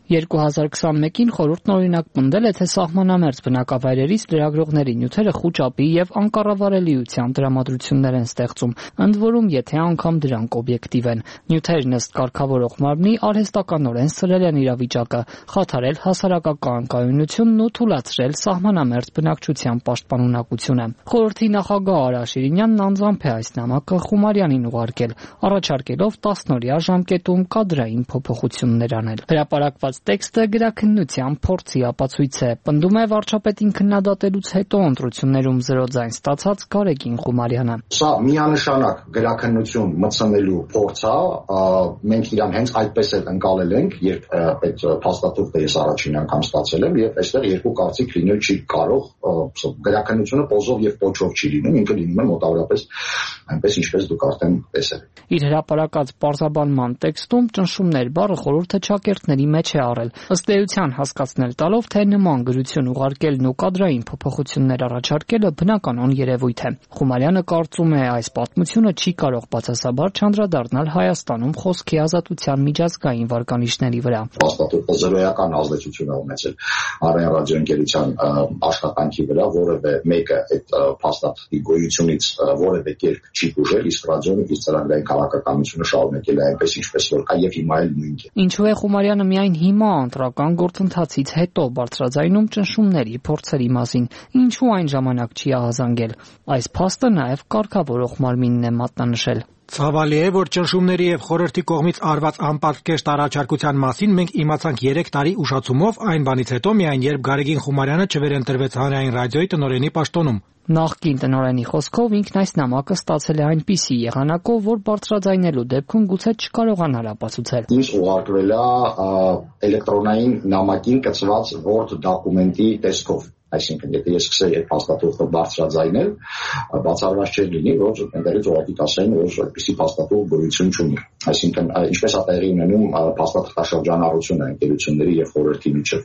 2021-ին խորհուրդն օրինակ պնդել է, թե սահմանամերձ բնակավայրերից լրագրողների նյութերը խուճապի եւ անկառավարելիության տրամադրություններ են ստեղծում, ընդ որում եթե անգամ դրանք օբյեկտիվ են։ Նյութերն ըստ կարգավորող մարմնի արհեստականորեն սրել են իրավիճակը, խաթարել հասարակական կայունությունն ու թուլացրել սահմանամերձ բնակչության պաշտպանունակությունը։ Խորհրդի նախագահ Արա Շիրինյանն անձամբ է այս նամակը Խումարյանին ուղարկել, առաջարկելով 10-օրյա ժամկետում կադրային փոփոխություններ անել։ Հրապարակված տեքստը գրաքննության փորձի ապացույց է, պնդում է վարչապետին քննադատելուց հետո ընտրություններում 0 ձայն ստացած Գարեգին Խումարյանը։ Սա միանշանակ գրաքննություն մտցնելու փորձ է, մենք իրան հենց այդպես էլ ընկալել ենք, երբ այդ փաստաթուղթը ես առաջին անգամ ստացել եմ, եւ այստեղ երկու կարծիք լինել չի կարող, գրաքննությունը պոզով եւ պոչով չի լինում, ինքը լինում է մոտավորապես այնպես ինչպես դուք արդեն տեսել եք։ Իր հրապարակած պարզաբանման տեքստում ճնշումներ բառը խորհուրդը ճակերտների մեջ է առել, ըստ էության հասկացնել տալով, թե նման գրություն ուղարկելն ու կադրային փոփոխություններ առաջարկելը բնականon երևույթ է։ Խումարյանը կարծում է, այս պատմությունը չի կարող բացասաբար չանդրադառնալ Հայաստանում խոսքի ազատության միջազգային վարկանիշների վրա։ Փաստաթուղթը զրոյական ազդեցություն է ունեցել Արեն ռադիոընկերության աշխատանքի վրա, որևէ մեկը այդ փաստաթղթի գոյությունից որևէ կերպ չի բուժել, իսկ ռադիոն իր ծրագրային քաղաքականությունը շարունակել է այնպես ինչպես որ կա եւ հիմա էլ նույնն է։ Ինչու է Խումարյանը միայն հիմա ընտրական գործընթացից հետո բարձրաձայնում ճնշումների փորձերի մասին, ինչու այն ժամանակ չի ահազանգել։ Այս փաստը նաեւ կարգավորող մարմինն է մատնանշել։ Ցավալի է, որ ճնշումների եւ խորհրդի կողմից արված անպատկեշտ առաջարկության մասին մենք իմացանք 3 տարի ուշացումով այն բանից հետո միայն երբ Գարեգին Խումարյանը չվերընտրվեց հանրային ռադիոյի տնօրենի պաշտոնում։ Նախկին տնօրենի խոսքով ինքն այս նամակը ստացել է այնպիսի եղանակով, որ բարձրաձայնելու դեպքում գուցե չկարողանար ապացուցել։ Ինձ ուղարկվել է էլեկտրոնային նամակին կցված Word դոկումենտի տեսքով։ Այսինքն, եթե ես սկսեի այդ փաստաթուղթը բարձրաձայնել, բացառված չէր լինի, որ այնտեղից ուղղակի կասեն, որ այդպիսի փաստաթուղթ գոյություն չունի։ Այսինքն, ինչպես է տեղի ունենում փաստաթղթաշրջանառությունը ընկերությունների եւ խորհրդի միջեւ։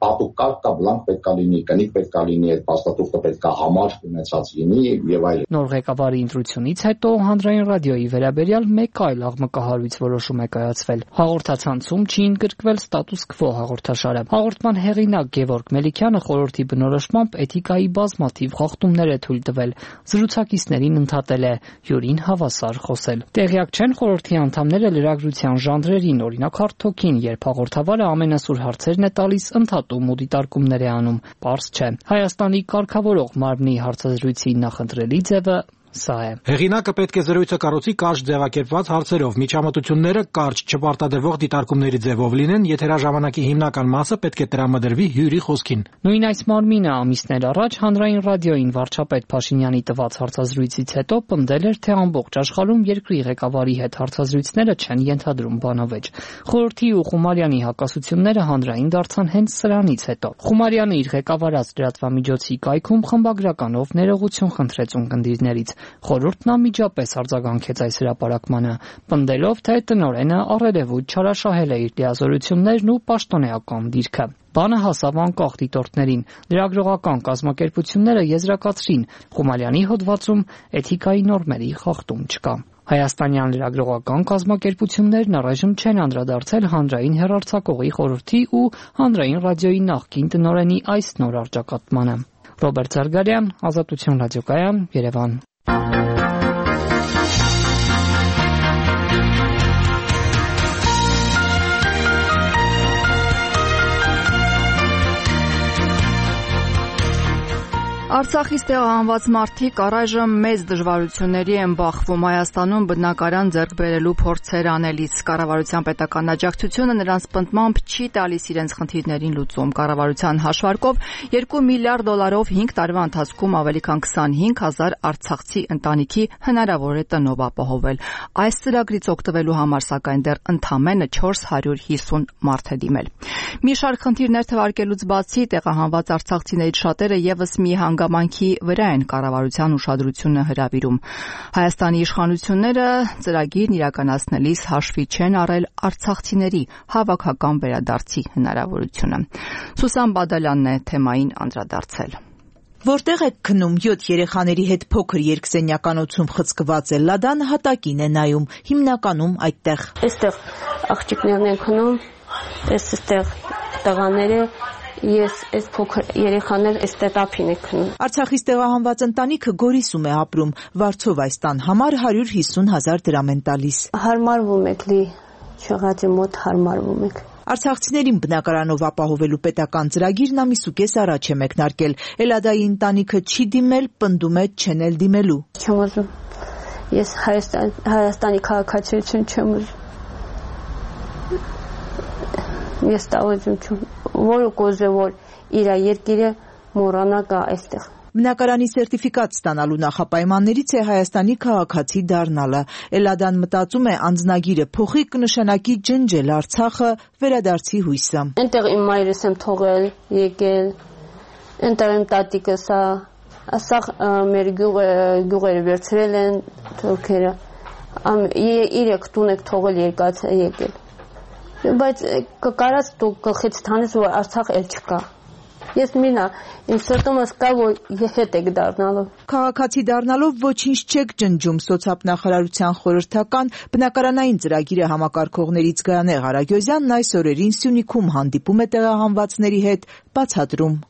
Պատուկակ կա, բլանկ պետք է լինի, կնիկ պետք է լինի, այդ փաստաթուղթը պետք է համար ունեցած լինի եւ այլն։ Նոր ղեկավարի ընտրությունից հետո հանրային ռադիոյի վերաբերյալ մեկ այլ աղմկահարույց որոշում է կայացվել։ Հաղորդացանցում չի ընդգրկվել ստատուս քվո հաղորդաշարը։ Հաղորդման հեղինակ Գևորգ Մելիքյանը խորհրդի բնորոշմամբ էթիկայի բազմաթիվ խախտումներ է թույլ տվել, զրուցակիցներին ընդհատել է, յուրին հավասար խոսել։ Տեղյակ չեն խորհրդի անդամները լրագրության ժանրերին, օրինակ հարթոքին, երբ հաղորդավարը ամենասուր հարցերն է տալիս, ընդհատում ու դիտարկումներ է անում։ Պարզ չէ։ Հայաստանի կարգավորող մարմնի հարցազրույցի նախընտրելի ձևը սա է։ Հեղինակը պետք է զրույցը կառուցի կարճ ձևակերպված հարցերով, միջամտությունները կարճ չպարտադրվող դիտարկումների ձևով լինեն, եթերաժամանակի հիմնական մասը պետք է տրամադրվի հյուրի խոսքին։ Նույն այս մարմինը ամիսներ առաջ հանրային ռադիոյին վարչապետ Փաշինյանի տված հարցազրույցից հետո պնդել էր, թե ամբողջ աշխարհում երկրի ղեկավարի հետ հարցազրույցները չեն ենթադրում բանավեճ։ Խորհրդի ու Խումարյանի հակասությունները հանրային դարձան հենց սրանից հետո։ Խումարյանը իր ղեկավարած լրատվամիջոցի կայքում խմբագրականով ներողություն խնդրեց ունկնդիրներից։ Խորհուրդն անմիջապես արձագանքեց այս հրապարակմանը, պնդելով, թե տնօրենը առերևույթ չարաշահել է իր լիազորություններն ու պաշտոնեական դիրքը։ Բանը հասավ անկախ դիտորդներին, լրագրողական կազմակերպությունները եզրակացրին, Խումարյանի հոդվածում էթիկայի նորմերի խախտում չկա։ Հայաստանյան լրագրողական կազմակերպություններն առայժմ չեն անդրադարձել հանրային հեռարձակողի խորհրդի ու հանրային ռադիոյի նախկին տնօրենի այս նոր առճակատմանը։ Ռոբերտ Զարգարյան, Ազատություն ռադիոկայան, Երևան։ Արցախից տեղահանված մարդիկ առայժմ մեծ դժվարությունների են բախվում Հայաստանում բնակարան ձեռք բերելու փորձեր անելիս։ Կառավարության պետական աջակցությունը նրանց պնդմամբ չի տալիս իրենց խնդիրներին լուծում։ Կառավարության հաշվարկով $2 միլիարդ 5 տարվա ընթացքում ավելի քան 25,000 արցախցի ընտանիքի հնարավոր է տնով ապահովել։ Այս ծրագրից օգտվելու համար սակայն դեռ ընդամենը 450 մարդ է դիմել։ Մի շարք խնդիրներ թվարկելուց բացի տեղահանված արցախցիներից շատերը եւս մի հանգամանքի վրա են կառավարության ուշադրությունը հրավիրում։ Հայաստանի իշխանությունները ծրագիրն իրականացնելիս հաշվի չեն առել արցախցիների հավաքական վերադարձի հնարավորությունը։ Սուսան Բադալյանն է թեմային անդրադարձել։ Որտեղ եք քնում 7 երեխաների հետ փոքր երկսենյականոցում խցկված է Լադան հատակին է նայում, հիմնականում այդտեղ։ Այստեղ աղջիկներն են քնում, այստեղ տղաները, ես այս փոքր երեխաներ այստեղ տափին է քնում։ Արցախից տեղահանված ընտանիքը Գորիսում է ապրում, վարձով այս տան համար 150,000 դրամ են տալիս։ Հարմարվում եք լի, չեղածի մոտ հարմարվում եք։ Արցախցիներին բնակարանով ապահովելու պետական ծրագիրն ամիսուկես առաջ է մեկնարկել։ Էլադայի ընտանիքը չի դիմել, պնդում է չեն էլ դիմելու։ Չեմ ուզում։ Ես Հայաստանի քաղաքացիություն չեմ ուզում։ Ես տավոզում չեմ։ Որը կոզե որ իր երկիրը մոռանա գա այստեղ։ Բնակարանի սերտիֆիկատ ստանալու նախապայմաններից է Հայաստանի քաղաքացի դառնալը։ Էլադան մտածում է անձնագիրը փոխի կնշանակի ջնջել Արցախը, վերադարձի հույսը։ Այնտեղ իմ մայրս եմ թողել, եկել, այնտեղ իմ տատիկս ասա մեր գյուղերը վերցրել են թուրքերը։ Իրեք տուն եք թողել երկացը եկել։ Բայց կարած դու գլխից տանես որ Արցախ էլ չկա։ Ես մինա, իմ սրտումս կա, որ հետ եք դառնալու։ Քաղաքացի դառնալով ոչինչ չեք ջնջում, սոցիալ-նախարարության խորհրդական բնակարանային ծրագիրը համակարգողներից Գայանե Ղարագյոզյանն այս օրերին Սյունիքում հանդիպում է տեղահանվածների հետ, բացատրում։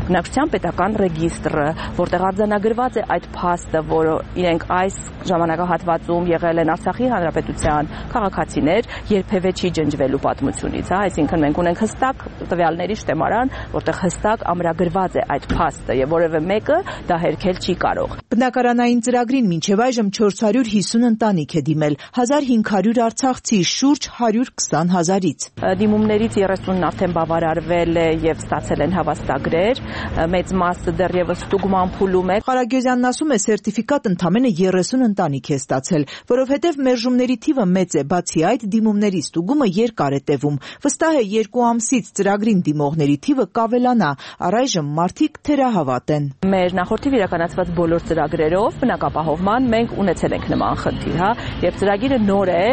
Բնակչության պետական ռեգիստրը, որտեղ արձանագրված է այդ փաստը, որ իրենք այս ժամանակահատվածում եղել են Արցախի հանրապետության քաղաքացիներ, երբևէ չի ջնջվելու պատմությունից, այսինքն մենք ունենք հստակ տվյալների շտեմարան, որտեղ հստակ ամրագրված է այդ փաստը եւ որևէ մեկը դա հերքել չի կարող։ Բնակարանային ծրագրին մինչև այժմ 450 ընտանիք է դիմել, 1500 արցախցի, շուրջ 120,000-ից։ Դիմումներից 30-ն արդեն բավարարվել է եւ ստացել են հավաստագրեր, մեծ մասը դեռևս ստուգման փուլում է։ Ղարագյոզյանն ասում է, սերտիֆիկատ ընդամենը 30 ընտանիք է ստացել, որովհետև մերժումների թիվը մեծ է, բացի այդ դիմումների ստուգումը երկար է տևում։ Վստահ է 2 ամսից ծրագրին դիմողների թիվը կավելանա, առայժմ մարդիկ թերահավատ են։ Մեր նախորդիվ իրականացված բոլոր ծրագրերով բնակապահովման մենք ունեցել ենք նման խնդիր, եւ ծրագիրը նոր է,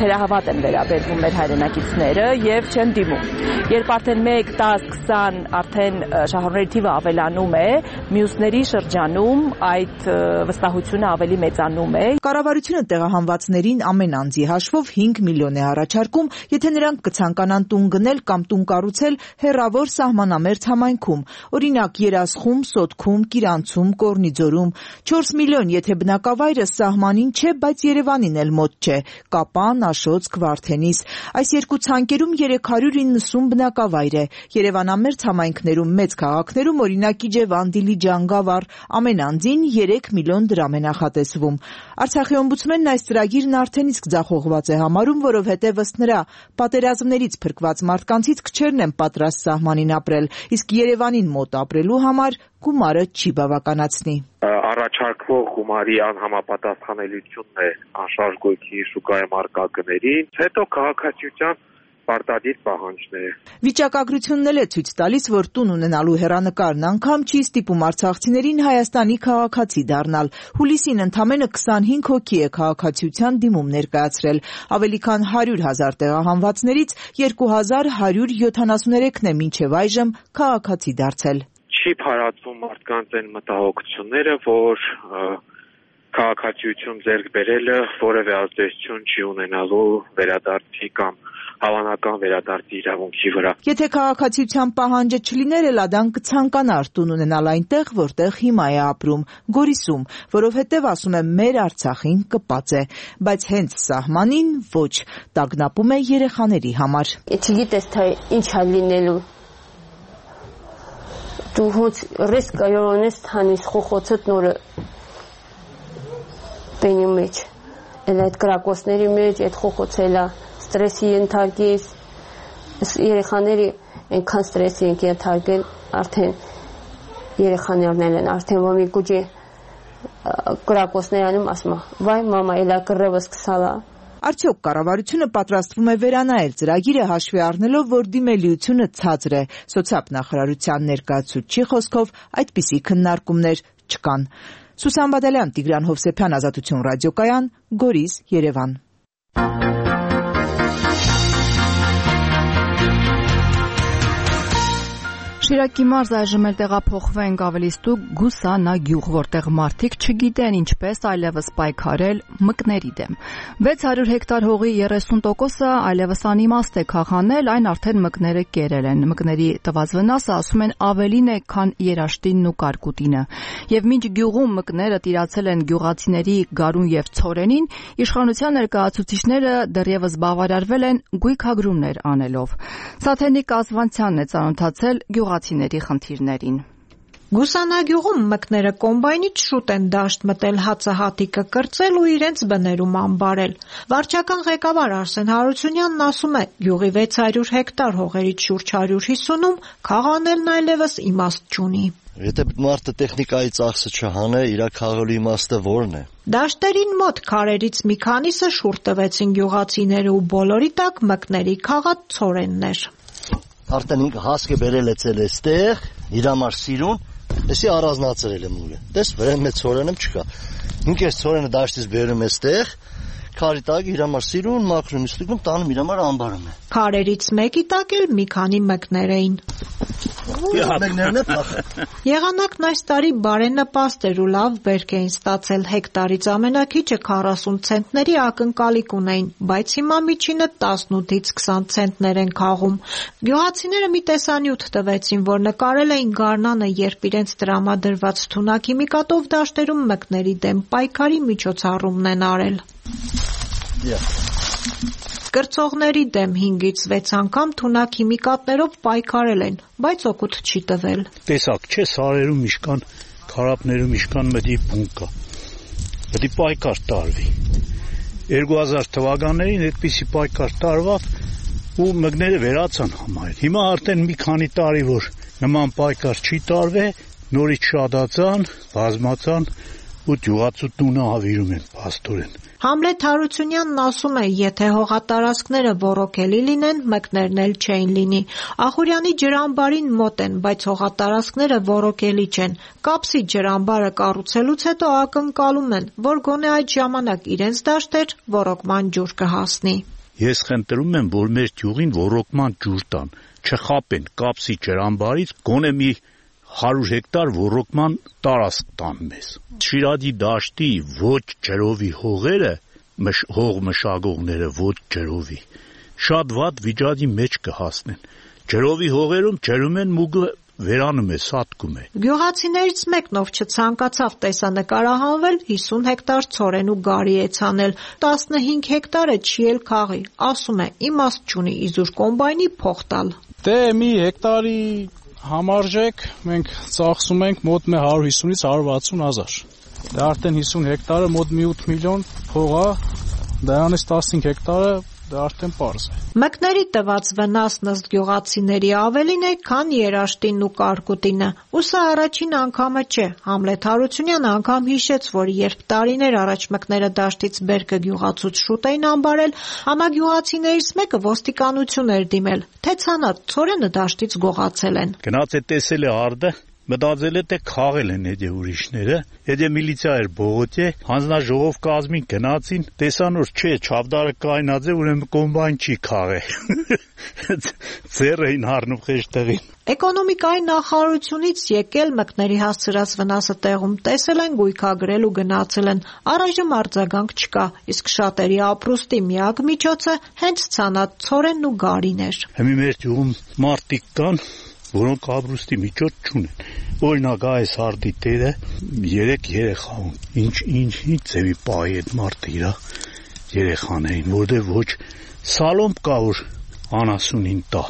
թերահավատ են վերաբերվում մեր հայրենակիցները եւ չեն դիմում։ Երբ արդեն 1, 10, 20 արդեն շահառուների թիվը ավելանում է, մյուսների շրջանում այդ վստահությունը ավելի մեծանում է։ Կառավարությունը տեղահանվածներին ամեն անձի հաշվով 5 միլիոն է առաջարկում, եթե նրանք կցանկանան տուն գնել կամ տուն կառուցել հեռավոր սահմանամերձ համայնքում, օրինակ Երասխում, Սոտքում, Կիրանցում, Կորնիձորում, 4 միլիոն, եթե բնակավայրը սահմանին չէ, բայց Երևանին էլ մոտ չէ, Կապան, Աշոտսկ, Վարդենիս։ Այս երկու ցանկերում 390 բնակավայր է։ Երևանամերձ համայնքներում մեծ քաղաքներում օրինակ Իջևան, Դիլիջան, Գավառ ամեն անձին 3 միլիոն դրամ է նախատեսվում։ Արցախի օմբուդսմենն այս ծրագիրն արդեն իսկ ձախողված է համարում, որովհետև ըստ նրա պատերազմներից փրկված մարդկանցից քչերն են պատրաստ սահմանին ապրել, իսկ Երևանին մոտ ապրելու համար գումարը չի բավականացնի։ Առաջարկվող գումարի անհամապատասխանելիությունն է անշարժ գույքի շուկայում առկա գներին, հետո քաղաքացիության պարտադիր պահանջները։ Վիճակագրությունն էլ է ցույց տալիս, որ տուն ունենալու հեռանկարն անգամ չի ստիպում արցախցիներին Հայաստանի քաղաքացի դառնալ։ Հուլիսին ընդամենը 25 հոգի է քաղաքացիության դիմում ներկայացրել։ Ավելի քան 100,000 տեղահանվածներից 2173-ն է մինչև այժմ քաղաքացի դարձել։ Չի փարատվում մարդկանց այն մտահոգությունները, որ քաղաքացիություն ձեռք բերելը որևէ ազդեցություն չի ունենալու վերադարձի կամ հավանական վերադարձի իրավունքի վրա։ Եթե քաղաքացիության պահանջը չլիներ, Էլադան կցանկանար տուն ունենալ այնտեղ, որտեղ հիմա է ապրում, Գորիսում, որովհետև ասում է մեր Արցախին կպած է, բայց հենց սահմանին ոչ, տագնապում է երեխաների համար։ Չգիտես թե ինչ է լինելու։ Դու հոց ռիսկ կայորոնես թանիս խոխոցդ նորը բենի մեջ, էլ այդ կրակոսների մեջ, այդ խոխոցելա ստրեսի ենթարկես, երեխաների այնքան ստրեսի ենք ենթարկել, արդեն երեխաներն են, արդեն որ մի գուջի կրակոսներանում ասում, վայ մամա, էլա կռևս կսալա։ Արդյոք կառավարությունը պատրաստվում է վերանայել ծրագիրը հաշվի առնելով, որ դիմելիությունը ցածր է։ Սոցիալ-նախարարության ներկայացուցչի խոսքով այդպիսի քննարկումներ չկան։ Սուսան Բադալյան, Տիգրան Հովսեփյան, Ազատություն ռադիոկայան, Գորիս, Երևան։ Շիրակի մարզ այժմ էլ տեղափոխվենք ավելի ստուգ Գուսանա գյուղ, որտեղ մարդիկ չգիտեն ինչպես այլևս պայքարել մկների դեմ։ 600 հեկտար հողի 30%-ը այլևս անիմաստ է քաղանել, այն արդեն մկները կերել են։ Մկների տված վնասը, ասում են, ավելին է, քան երաշտինն ու կարկուտինը։ Եվ մինչ գյուղում մկները տիրացել են գյուղացիների գարուն եւ ցորենին, իշխանության ներկայացուցիչները դեռևս բավարարվել են գույքագրումներ անելով։ Սաթենիկ Ազվանցյանն է ծանոթացել գյուղացիների խնդիրներին։ Գուսանագյուղում մկները կոմբայնից շուտ են դաշտ մտել հացահատիկը կրծել ու իրենց բներում ամբարել։ Վարչական ղեկավար Արսեն Հարությունյանն ասում է, գյուղի 600 հեկտար հողերից շուրջ 150-ում քաղանելն այլևս իմաստ չունի։ Եթե մարդը տեխնիկայի ծախսը չհանե, իր քաղալու իմաստը որն է։ Դաշտերին մոտ քարերից մի քանիսը շուռ տվեցին գյուղացիները ու բոլորի տակ մկների քաղած ցորեններ։ Արդեն ինքը հասկը բերել է ցել էստեղ, իր համար սիրուն, էսի առանձնացրել է մուրը։ Տես վրան մեծ ցորենը չկա։ Ինքը այս ցորենը դաշտից բերում է էստեղ, քարի տակ իր համար սիրուն, մաքրում ստուգում, տանում իր համար ամբարում է։ Քարերից մեկի տակ էլ մի քանի մկներ էին։ Եղանակն այս տարի բարենպաստ էր ու լավ բերք էին ստացել, հեկտարից ամենակիչը 40 ցենտների ակնկալիք ունեին, բայց հիմա միջինը 18-ից 20 ցենտներ են քաղում։ Գյուղացիները մի տեսանյութ տվեցին, որ նկարել էին գարնանը, երբ իրենց տրամադրված թունաքիմիկատով դաշտերում մկների դեմ պայքարի միջոցառումն են արել։ Կրծողների դեմ 5-ից 6 անգամ թունաքիմիկատներով պայքարել են, բայց օգուտ չի տվել։ Տեսակ չէ, սարերում իշքան, քարապներում իշքան մտի բուն կա։ Պետք է պայքար տարվի։ 2000 թվականներին այդպիսի պայքար տարվավ ու մկները վերացան համարել։ Հիմա արդեն մի քանի տարի որ նման պայքար չի տարվե, նորից շատացան, բազմացան ու գյուղացու տունը հավիրում են փաստորեն։ Համլետ Հարությունյանն ասում է, եթե հողատարածքները ոռոգելի լինեն, մկներն էլ չէին լինի։ Ախուրյանի ջրամբարին մոտ են, բայց հողատարածքները ոռոգելի չեն։ Կապսի ջրամբարը կառուցելուց հետո ակնկալում են, որ գոնե այդ ժամանակ իրենց դաշտեր ոռոգման ջուր կհասնի։ Ես խնդրում եմ, որ մեր գյուղին ոռոգման ջուր տան, չխապեն Կապսի ջրամբարից, գոնե մի 100 հեկտար ոռոգման տարածք տան մեզ։ Շիրադի դաշտի ոչ ջրովի հողերը, հող մշակողները ոչ ջրովի, շատ վատ վիճակի մեջ կհասնեն։ Ջրովի հողերում ջրում են մուգը վերանում է, սատկում է։ Գյուղացիներից մեկն ով չցանկացավ տեսանկարահանվել, 50 հեկտար ցորեն ու գարի է ցանել, 15 հեկտարը չի էլ քաղի, ասում է, իմաստ չունի իզուր կոմբայնի փող տալ։ Դե մի հեկտարի համարժեք մենք ծախսում ենք մոտ 150-ից 160 հազար։ Դա արդեն 50 հեկտարը մոտ մի 8 միլիոն փող է, դրանից 15 հեկտարը դա արդեն պարզ է։ Մկների տված վնասն ըստ գյուղացիների ավելին է, քան երաշտինն ու կարկուտինը։ Ու սա առաջին անգամը չէ։ Համլետ Հարությունյանը անգամ հիշեց, որ երբ տարիներ առաջ մկները դաշտից բերքը գյուղացուց շուտ էին ամբարել, համագյուղացիներից մեկը ոստիկանություն էր դիմել, թե ցանած ցորենը դաշտից գողացել են։ Գնաց է տեսել է արդը, մտածել է թե քաղել են այդ ուրիշները, այդ միլիցիա էր բողոք է, հանձնաժողով կազմին գնացին, տեսան որ չէ, չավդարը կայնած է, ուրեմն կոմբայն չի քաղել։ Ձեռ էին առնում խեշտեղին։ Էկոնոմիկայի նախարարությունից եկել մկների հասցրած վնասը տեղում տեսել են, գույքագրել ու գնացել են։ Առայժմ արձագանք չկա, իսկ շատերի ապրուստի միակ միջոցը հենց ցանած ցորենն ու գարին էր։ Հիմա մեր գյուղում մարդիկ կան, որոնք ապրուստի միջոց չունեն։ Օրինակ այս արդի տերը 3 երեխա ունի։ Ինչ ձևի պահի այդ մարդը իր երեխաներին, որտեղ ոչ սալոմ կա որ անասունին տա,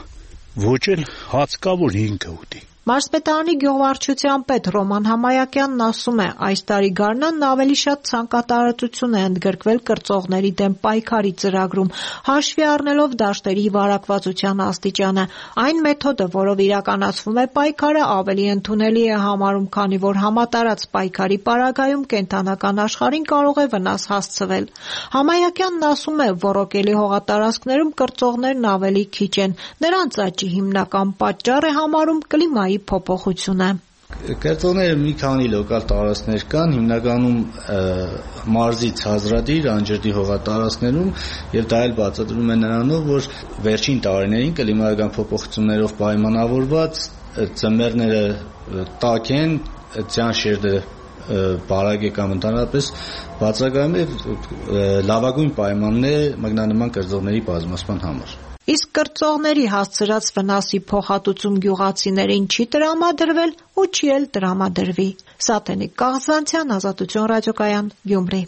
ոչ էլ հաց կա որ ինքը ուտի։ Մարզպետարանի գյուղվարչության պետ Ռոման Համայակյանն ասում է, այս տարի գարնանն ավելի շատ ցանկատարածություն է ընդգրկվել կրծողների դեմ պայքարի ծրագրում, հաշվի առնելով դաշտերի վարակվածության աստիճանը։ Այն մեթոդը, որով իրականացվում է պայքարը, ավելի ընդունելի է համարում, քանի որ համատարած պայքարի պարագայում կենդանական աշխարհին կարող է վնաս հասցվել։ Համայակյանն ասում է, ոռոգելի հողատարածքներում կրծողներն ավելի քիչ են, նրանց աճի հիմնական պատճառ է համարում կլիմայի փոփոխությունը։ Կրծողները մի քանի լոկալ տարածքներ կան, հիմնականում մարզից հազրադիր անջրդի հողատարածքներում, եւ դա էլ բացատրվում է նրանով, որ վերջին տարիներին կլիմայական փոփոխություններով պայմանավորված ծմերները տաք են, ձյան շերտը բարակ է կամ ընդհանրապես բացակայում է լավագույն պայմաններ մագնանման կրծողների բազմացման համար։ Իսկ կրծողների հասցրած վնասի փոխհատուցում գյուղացիներին չի տրամադրվել ու չի էլ տրամադրվի։ Սաթենիկ Կաղզանցյան, Ազատություն ռադիոկայան, Գյումրի։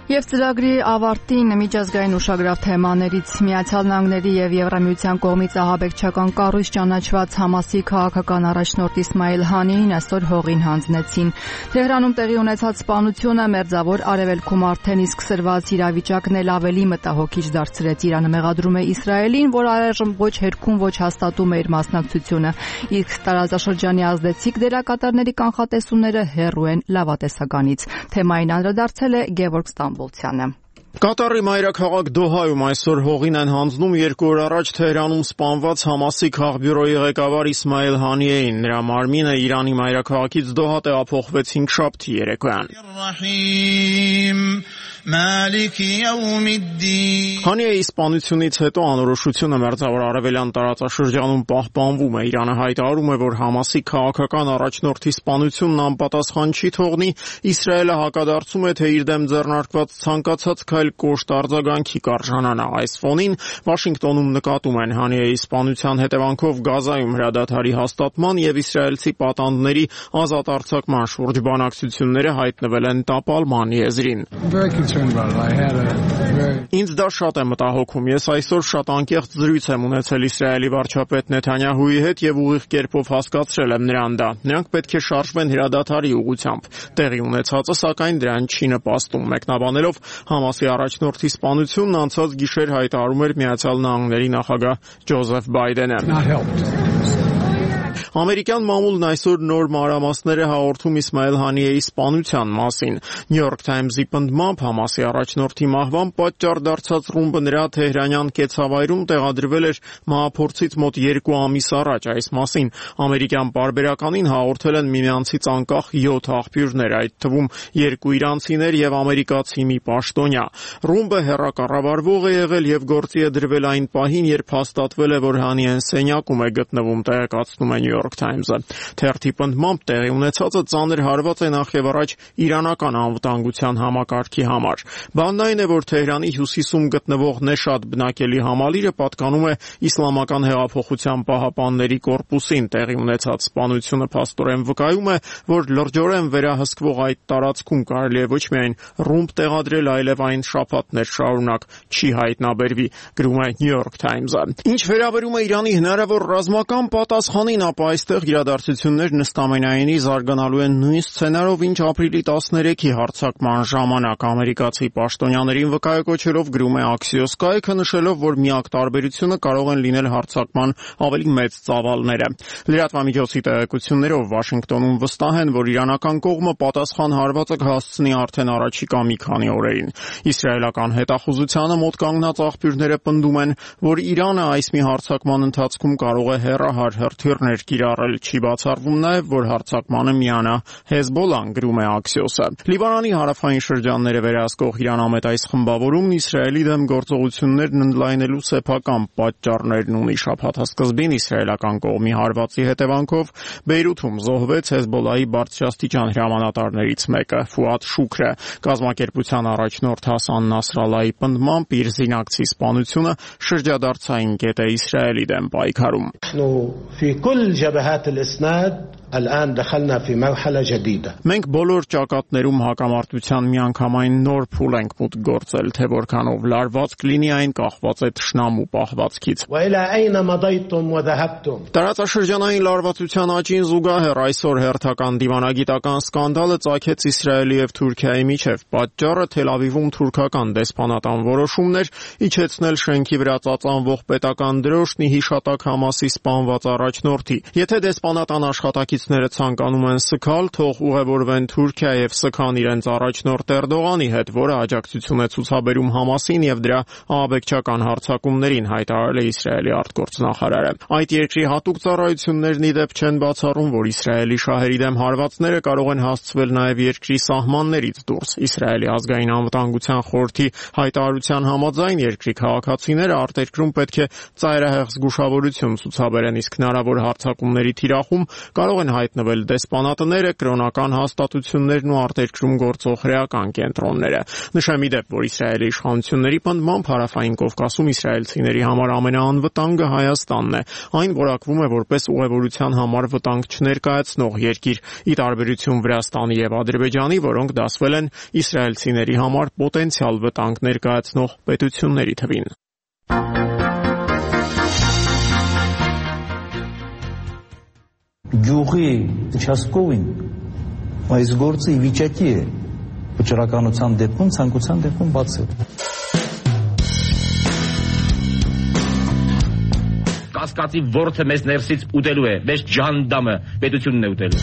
Եվ ծրագրի ավարտին միջազգային ուշագրավ թեմաներից Միացյալ Նահանգների եւ Եվրամիության կողմից ահաբեկչական կառույց ճանաչված Համասի քաղաքական առաջնորդ Իսմայիլ Հանիին այսօր հողին հանձնեցին։ Թեհրանում տեղի ունեցած սպանությունը մերձավոր արևելքում արդեն իսկ սրված իրավիճակն էլ ավելի մտահոգիչ դարձրեց։ Իրանը մեղադրում է Իսրայելին, որ առայժմ ոչ հերքում, ոչ հաստատում է իր մասնակցությունը։ Իսկ տարածաշրջանի ազդեցիկ դերակատարների կանխատեսումները հեռու են լավատեսականից։ Թեմային անդրադարձել է Գևորգ Ստամբոլցյանը։ Կատարի մայրաքաղաք Դոհայում այսօր հողին են հանձնում 2 օր առաջ Թեհրանում սպանված Համասի քաղբյուրոյի ղեկավար Իսմայիլ Հանիեին։ Նրա մարմինը Իրանի մայրաքաղաքից Դոհա տեղափոխվեց 5-շաբթի երեկոյան։ Հանիեի սպանությունից հետո անորոշությունը մերձավոր արևելյան տարածաշրջանում պահպանվում է։ Իրանը հայտարարում է, որ Համասի քաղաքական առաջնորդի սպանությունն անպատասխան չի թողնի։ Իսրայելը հակադարձում է, թե իր դեմ ձեռնարկված ցանկացած քայլ կոշտ արձագանքի կարժանանա։ Այս ֆոնին Վաշինգտոնում նկատում են Հանիեի սպանության հետևանքով Գազայում հրադադարի հաստատման եւ իսրայելցի պատանդների ազատ արձակման շուրջ բանակցությունները հայտնվել են տապալման եզրին։ Ինձ դա շատ է մտահոգում։ Ես այսօր շատ անկեղծ զրույց եմ ունեցել Իսրայելի վարչապետ Նեթանյահուի հետ եւ ուղիղ կերպով հասկացրել եմ նրան դա։ Նրանք պետք է շարժվեն հրադադարի ուղղությամբ։ Տեղի ունեցածը սակայն դրան չի նպաստում։ Մեկնաբանելով Համասի առաջնորդի սպանությունն անցած գիշեր հայտարարում էր Միացյալ Նահանգների նախագահ Ջոզեֆ Բայդենը։ Ամերիկյան մամուլն այսօր նոր մանրամասներ է հաղորդում Իսմայիլ Հանիեի սպանության մասին։ New York Times-ի պնդմամբ Համասի առաջնորդի մահվան պատճառ դարձած ռումբը նրա թեհրանյան կեցավայրում տեղադրվել էր մահափորձից մոտ 2 ամիս առաջ։ Այս մասին ամերիկյան պարբերականին հաղորդել են միմյանցից անկախ 7 աղբյուրներ, այդ թվում 2 իրանցիներ եւ ամերիկացի մի պաշտոնյա։ Ռումբը հեռակառավարվող է եղել եւ գործի է դրվել այն պահին, երբ հաստատվել է, որ Հանիեն սենյակում է գտնվում, տեղեկացնում է New York Times-ը։ Թերթի պնդմամբ տեղի ունեցածը ծանր հարված է նախ եւ առաջ իրանական անվտանգության համակարգի համար։ Բանն այն է, որ Թեհրանի հյուսիսում գտնվող Նեշադ բնակելի համալիրը պատկանում է Իսլամական հեղափոխության պահապանների կորպուսին։ Տեղի ունեցած սպանությունը փաստորեն վկայում է, որ լրջորեն վերահսկվող այդ տարածքում կարելի է ոչ միայն ռումբ տեղադրել, այլև այն շաբաթներ շարունակ չի հայտնաբերվի, գրում է New York Times-ը։ Ինչ վերաբերում է Իրանի հնարավոր ռազմական պատասխանին, ապա այստեղ իրադարձություններն ըստ ամենայնի զարգանալու են նույն սցենարով, ինչ ապրիլի 13-ի հարձակման ժամանակ ամերիկացի պաշտոնյաներին վկայակոչելով գրում է Axios կայքը, նշելով, որ միակ տարբերությունը կարող են լինել հարձակման ավելի մեծ ծավալները։ Լրատվամիջոցի տեղեկություններով Վաշինգտոնում վստահ են, որ իրանական կողմը պատասխան հարվածը կհասցնի արդեն առաջիկա մի քանի օրերին։ Իսրայելական հետախուզությանը մոտ կանգնած աղբյուրները պնդում են, որ Իրանը այս մի հարձակման ընթացքում կարող է հեռահար հրթիռներ կիրառել։ Չի բացառվում նաև, որ հարձակմանը միանա Հեզբոլան, գրում է Axios-ը։ Լիբանանի հարավային շրջանները վերահսկող իրանամետ այս խմբավորումն Իսրայելի դեմ գործողություններն ընդլայնելու սեփական պատճառներն ունի։ Շաբաթասկզբին իսրայելական կողմի հարվածի հետևանքով Բեյրութում զոհվեց Հեզբոլայի բարձրաստիճան հրամանատարներից մեկը՝ Ֆուադ Շուքրը։ Կազմակերպության առաջնորդ Հասան Նասրալլայի պնդմամբ իր զինակցի սպանությունը շրջադարձային կետ է Իսրայելի դեմ պայքարում։ Մենք բոլոր ճակատներում հակամարտության միանգամայն նոր փուլ ենք մուտք գործել, թե որքանով լարված կլինի այն կախված է թշնամու պահվածքից։ Տարածաշրջանային լարվածության աճին զուգահեռ այսօր հերթական դիվանագիտական սկանդալը ծագեց Իսրայելի եւ Թուրքիայի միջև։ Պատճառը Թել Ավիվում թուրքական դեսպանատան որոշումներ իջեցնել շենքի վրա ծածանվող պետական դրոշն ի հիշատակ Համասի սպանված առաջնորդի։ Եթե դեսպանատան աշխատակիցները ցանկանում են սգալ, թող ուղևորվեն Թուրքիա եւ սգան իրենց առաջնորդ Էրդողանի հետ, որը աջակցություն է ցուցաբերում Համասին եւ դրա ահաբեկչական հարձակումներին, հայտարարել է Իսրայելի արտգործնախարարը։ Այդ երկրի հատուկ ծառայություններն ի դեպ չեն բացառում, որ Իսրայելի շահերի դեմ հարվածները կարող են հասցվել նաեւ երկրի սահմաններից դուրս։ Իսրայելի ազգային անվտանգության խորհրդի հայտարարության համաձայն երկրի քաղաքացիները արտերկրում պետք է ծայրահեղ զգուշավորություն ցուցաբերեն, իսկ հնարավոր հարձակումների թիրախում կարող են հայտնվել դեսպանատները, կրոնական հաստատություններն ու արտերկրում գործող հրեական կենտրոնները։ Նշեմ ի դեպ, որ Իսրայելի իշխանությունների պնդմամբ Հարավային Կովկասում իսրայելցիների համար ամենաանվտանգը Հայաստանն է։ Այն որակվում է որպես ուղևորության համար վտանգ չներկայացնող երկիր, ի տարբերություն Վրաստանի եւ Ադրբեջանի, որոնք դասվել են իսրայելցիների համար պոտենցիալ վտանգ ներկայացնող պետությունների թվին։ Գյուղի участковին այս գործը ի վիճակի է վճռականության դեպքում, ցանկության դեպքում բացել։ Կասկածի ворթը մեզ ներսից ուտելու է, մեզ ջանդամը պետությունն է ուտելու։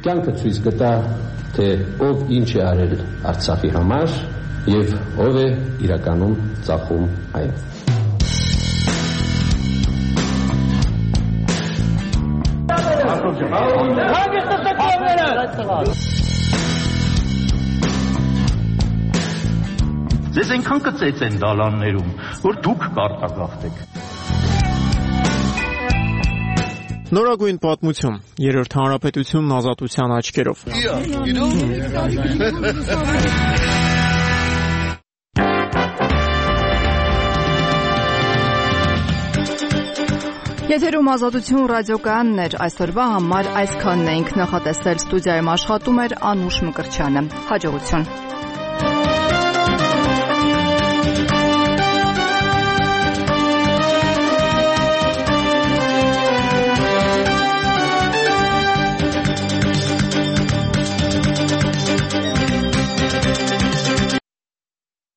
Կյանքը ցույց կտա, թե ով ինչ է արել Արցախի համար եւ ով է իրականում ծախում այն։ Ձեզ այնքան կծեց են դալաններում, որ դուք կարտագաղթեք։ Նորագույն պատմություն, Երրորդ հանրապետությունն ազատության աչքերով։ Եթերում Ազատություն ռադիոկայանն էր, այսօրվա համար այսքանն էինք նախատեսել, ստուդիայում աշխատում էր Անուշ Մկրտչյանը։ Հաջողություն։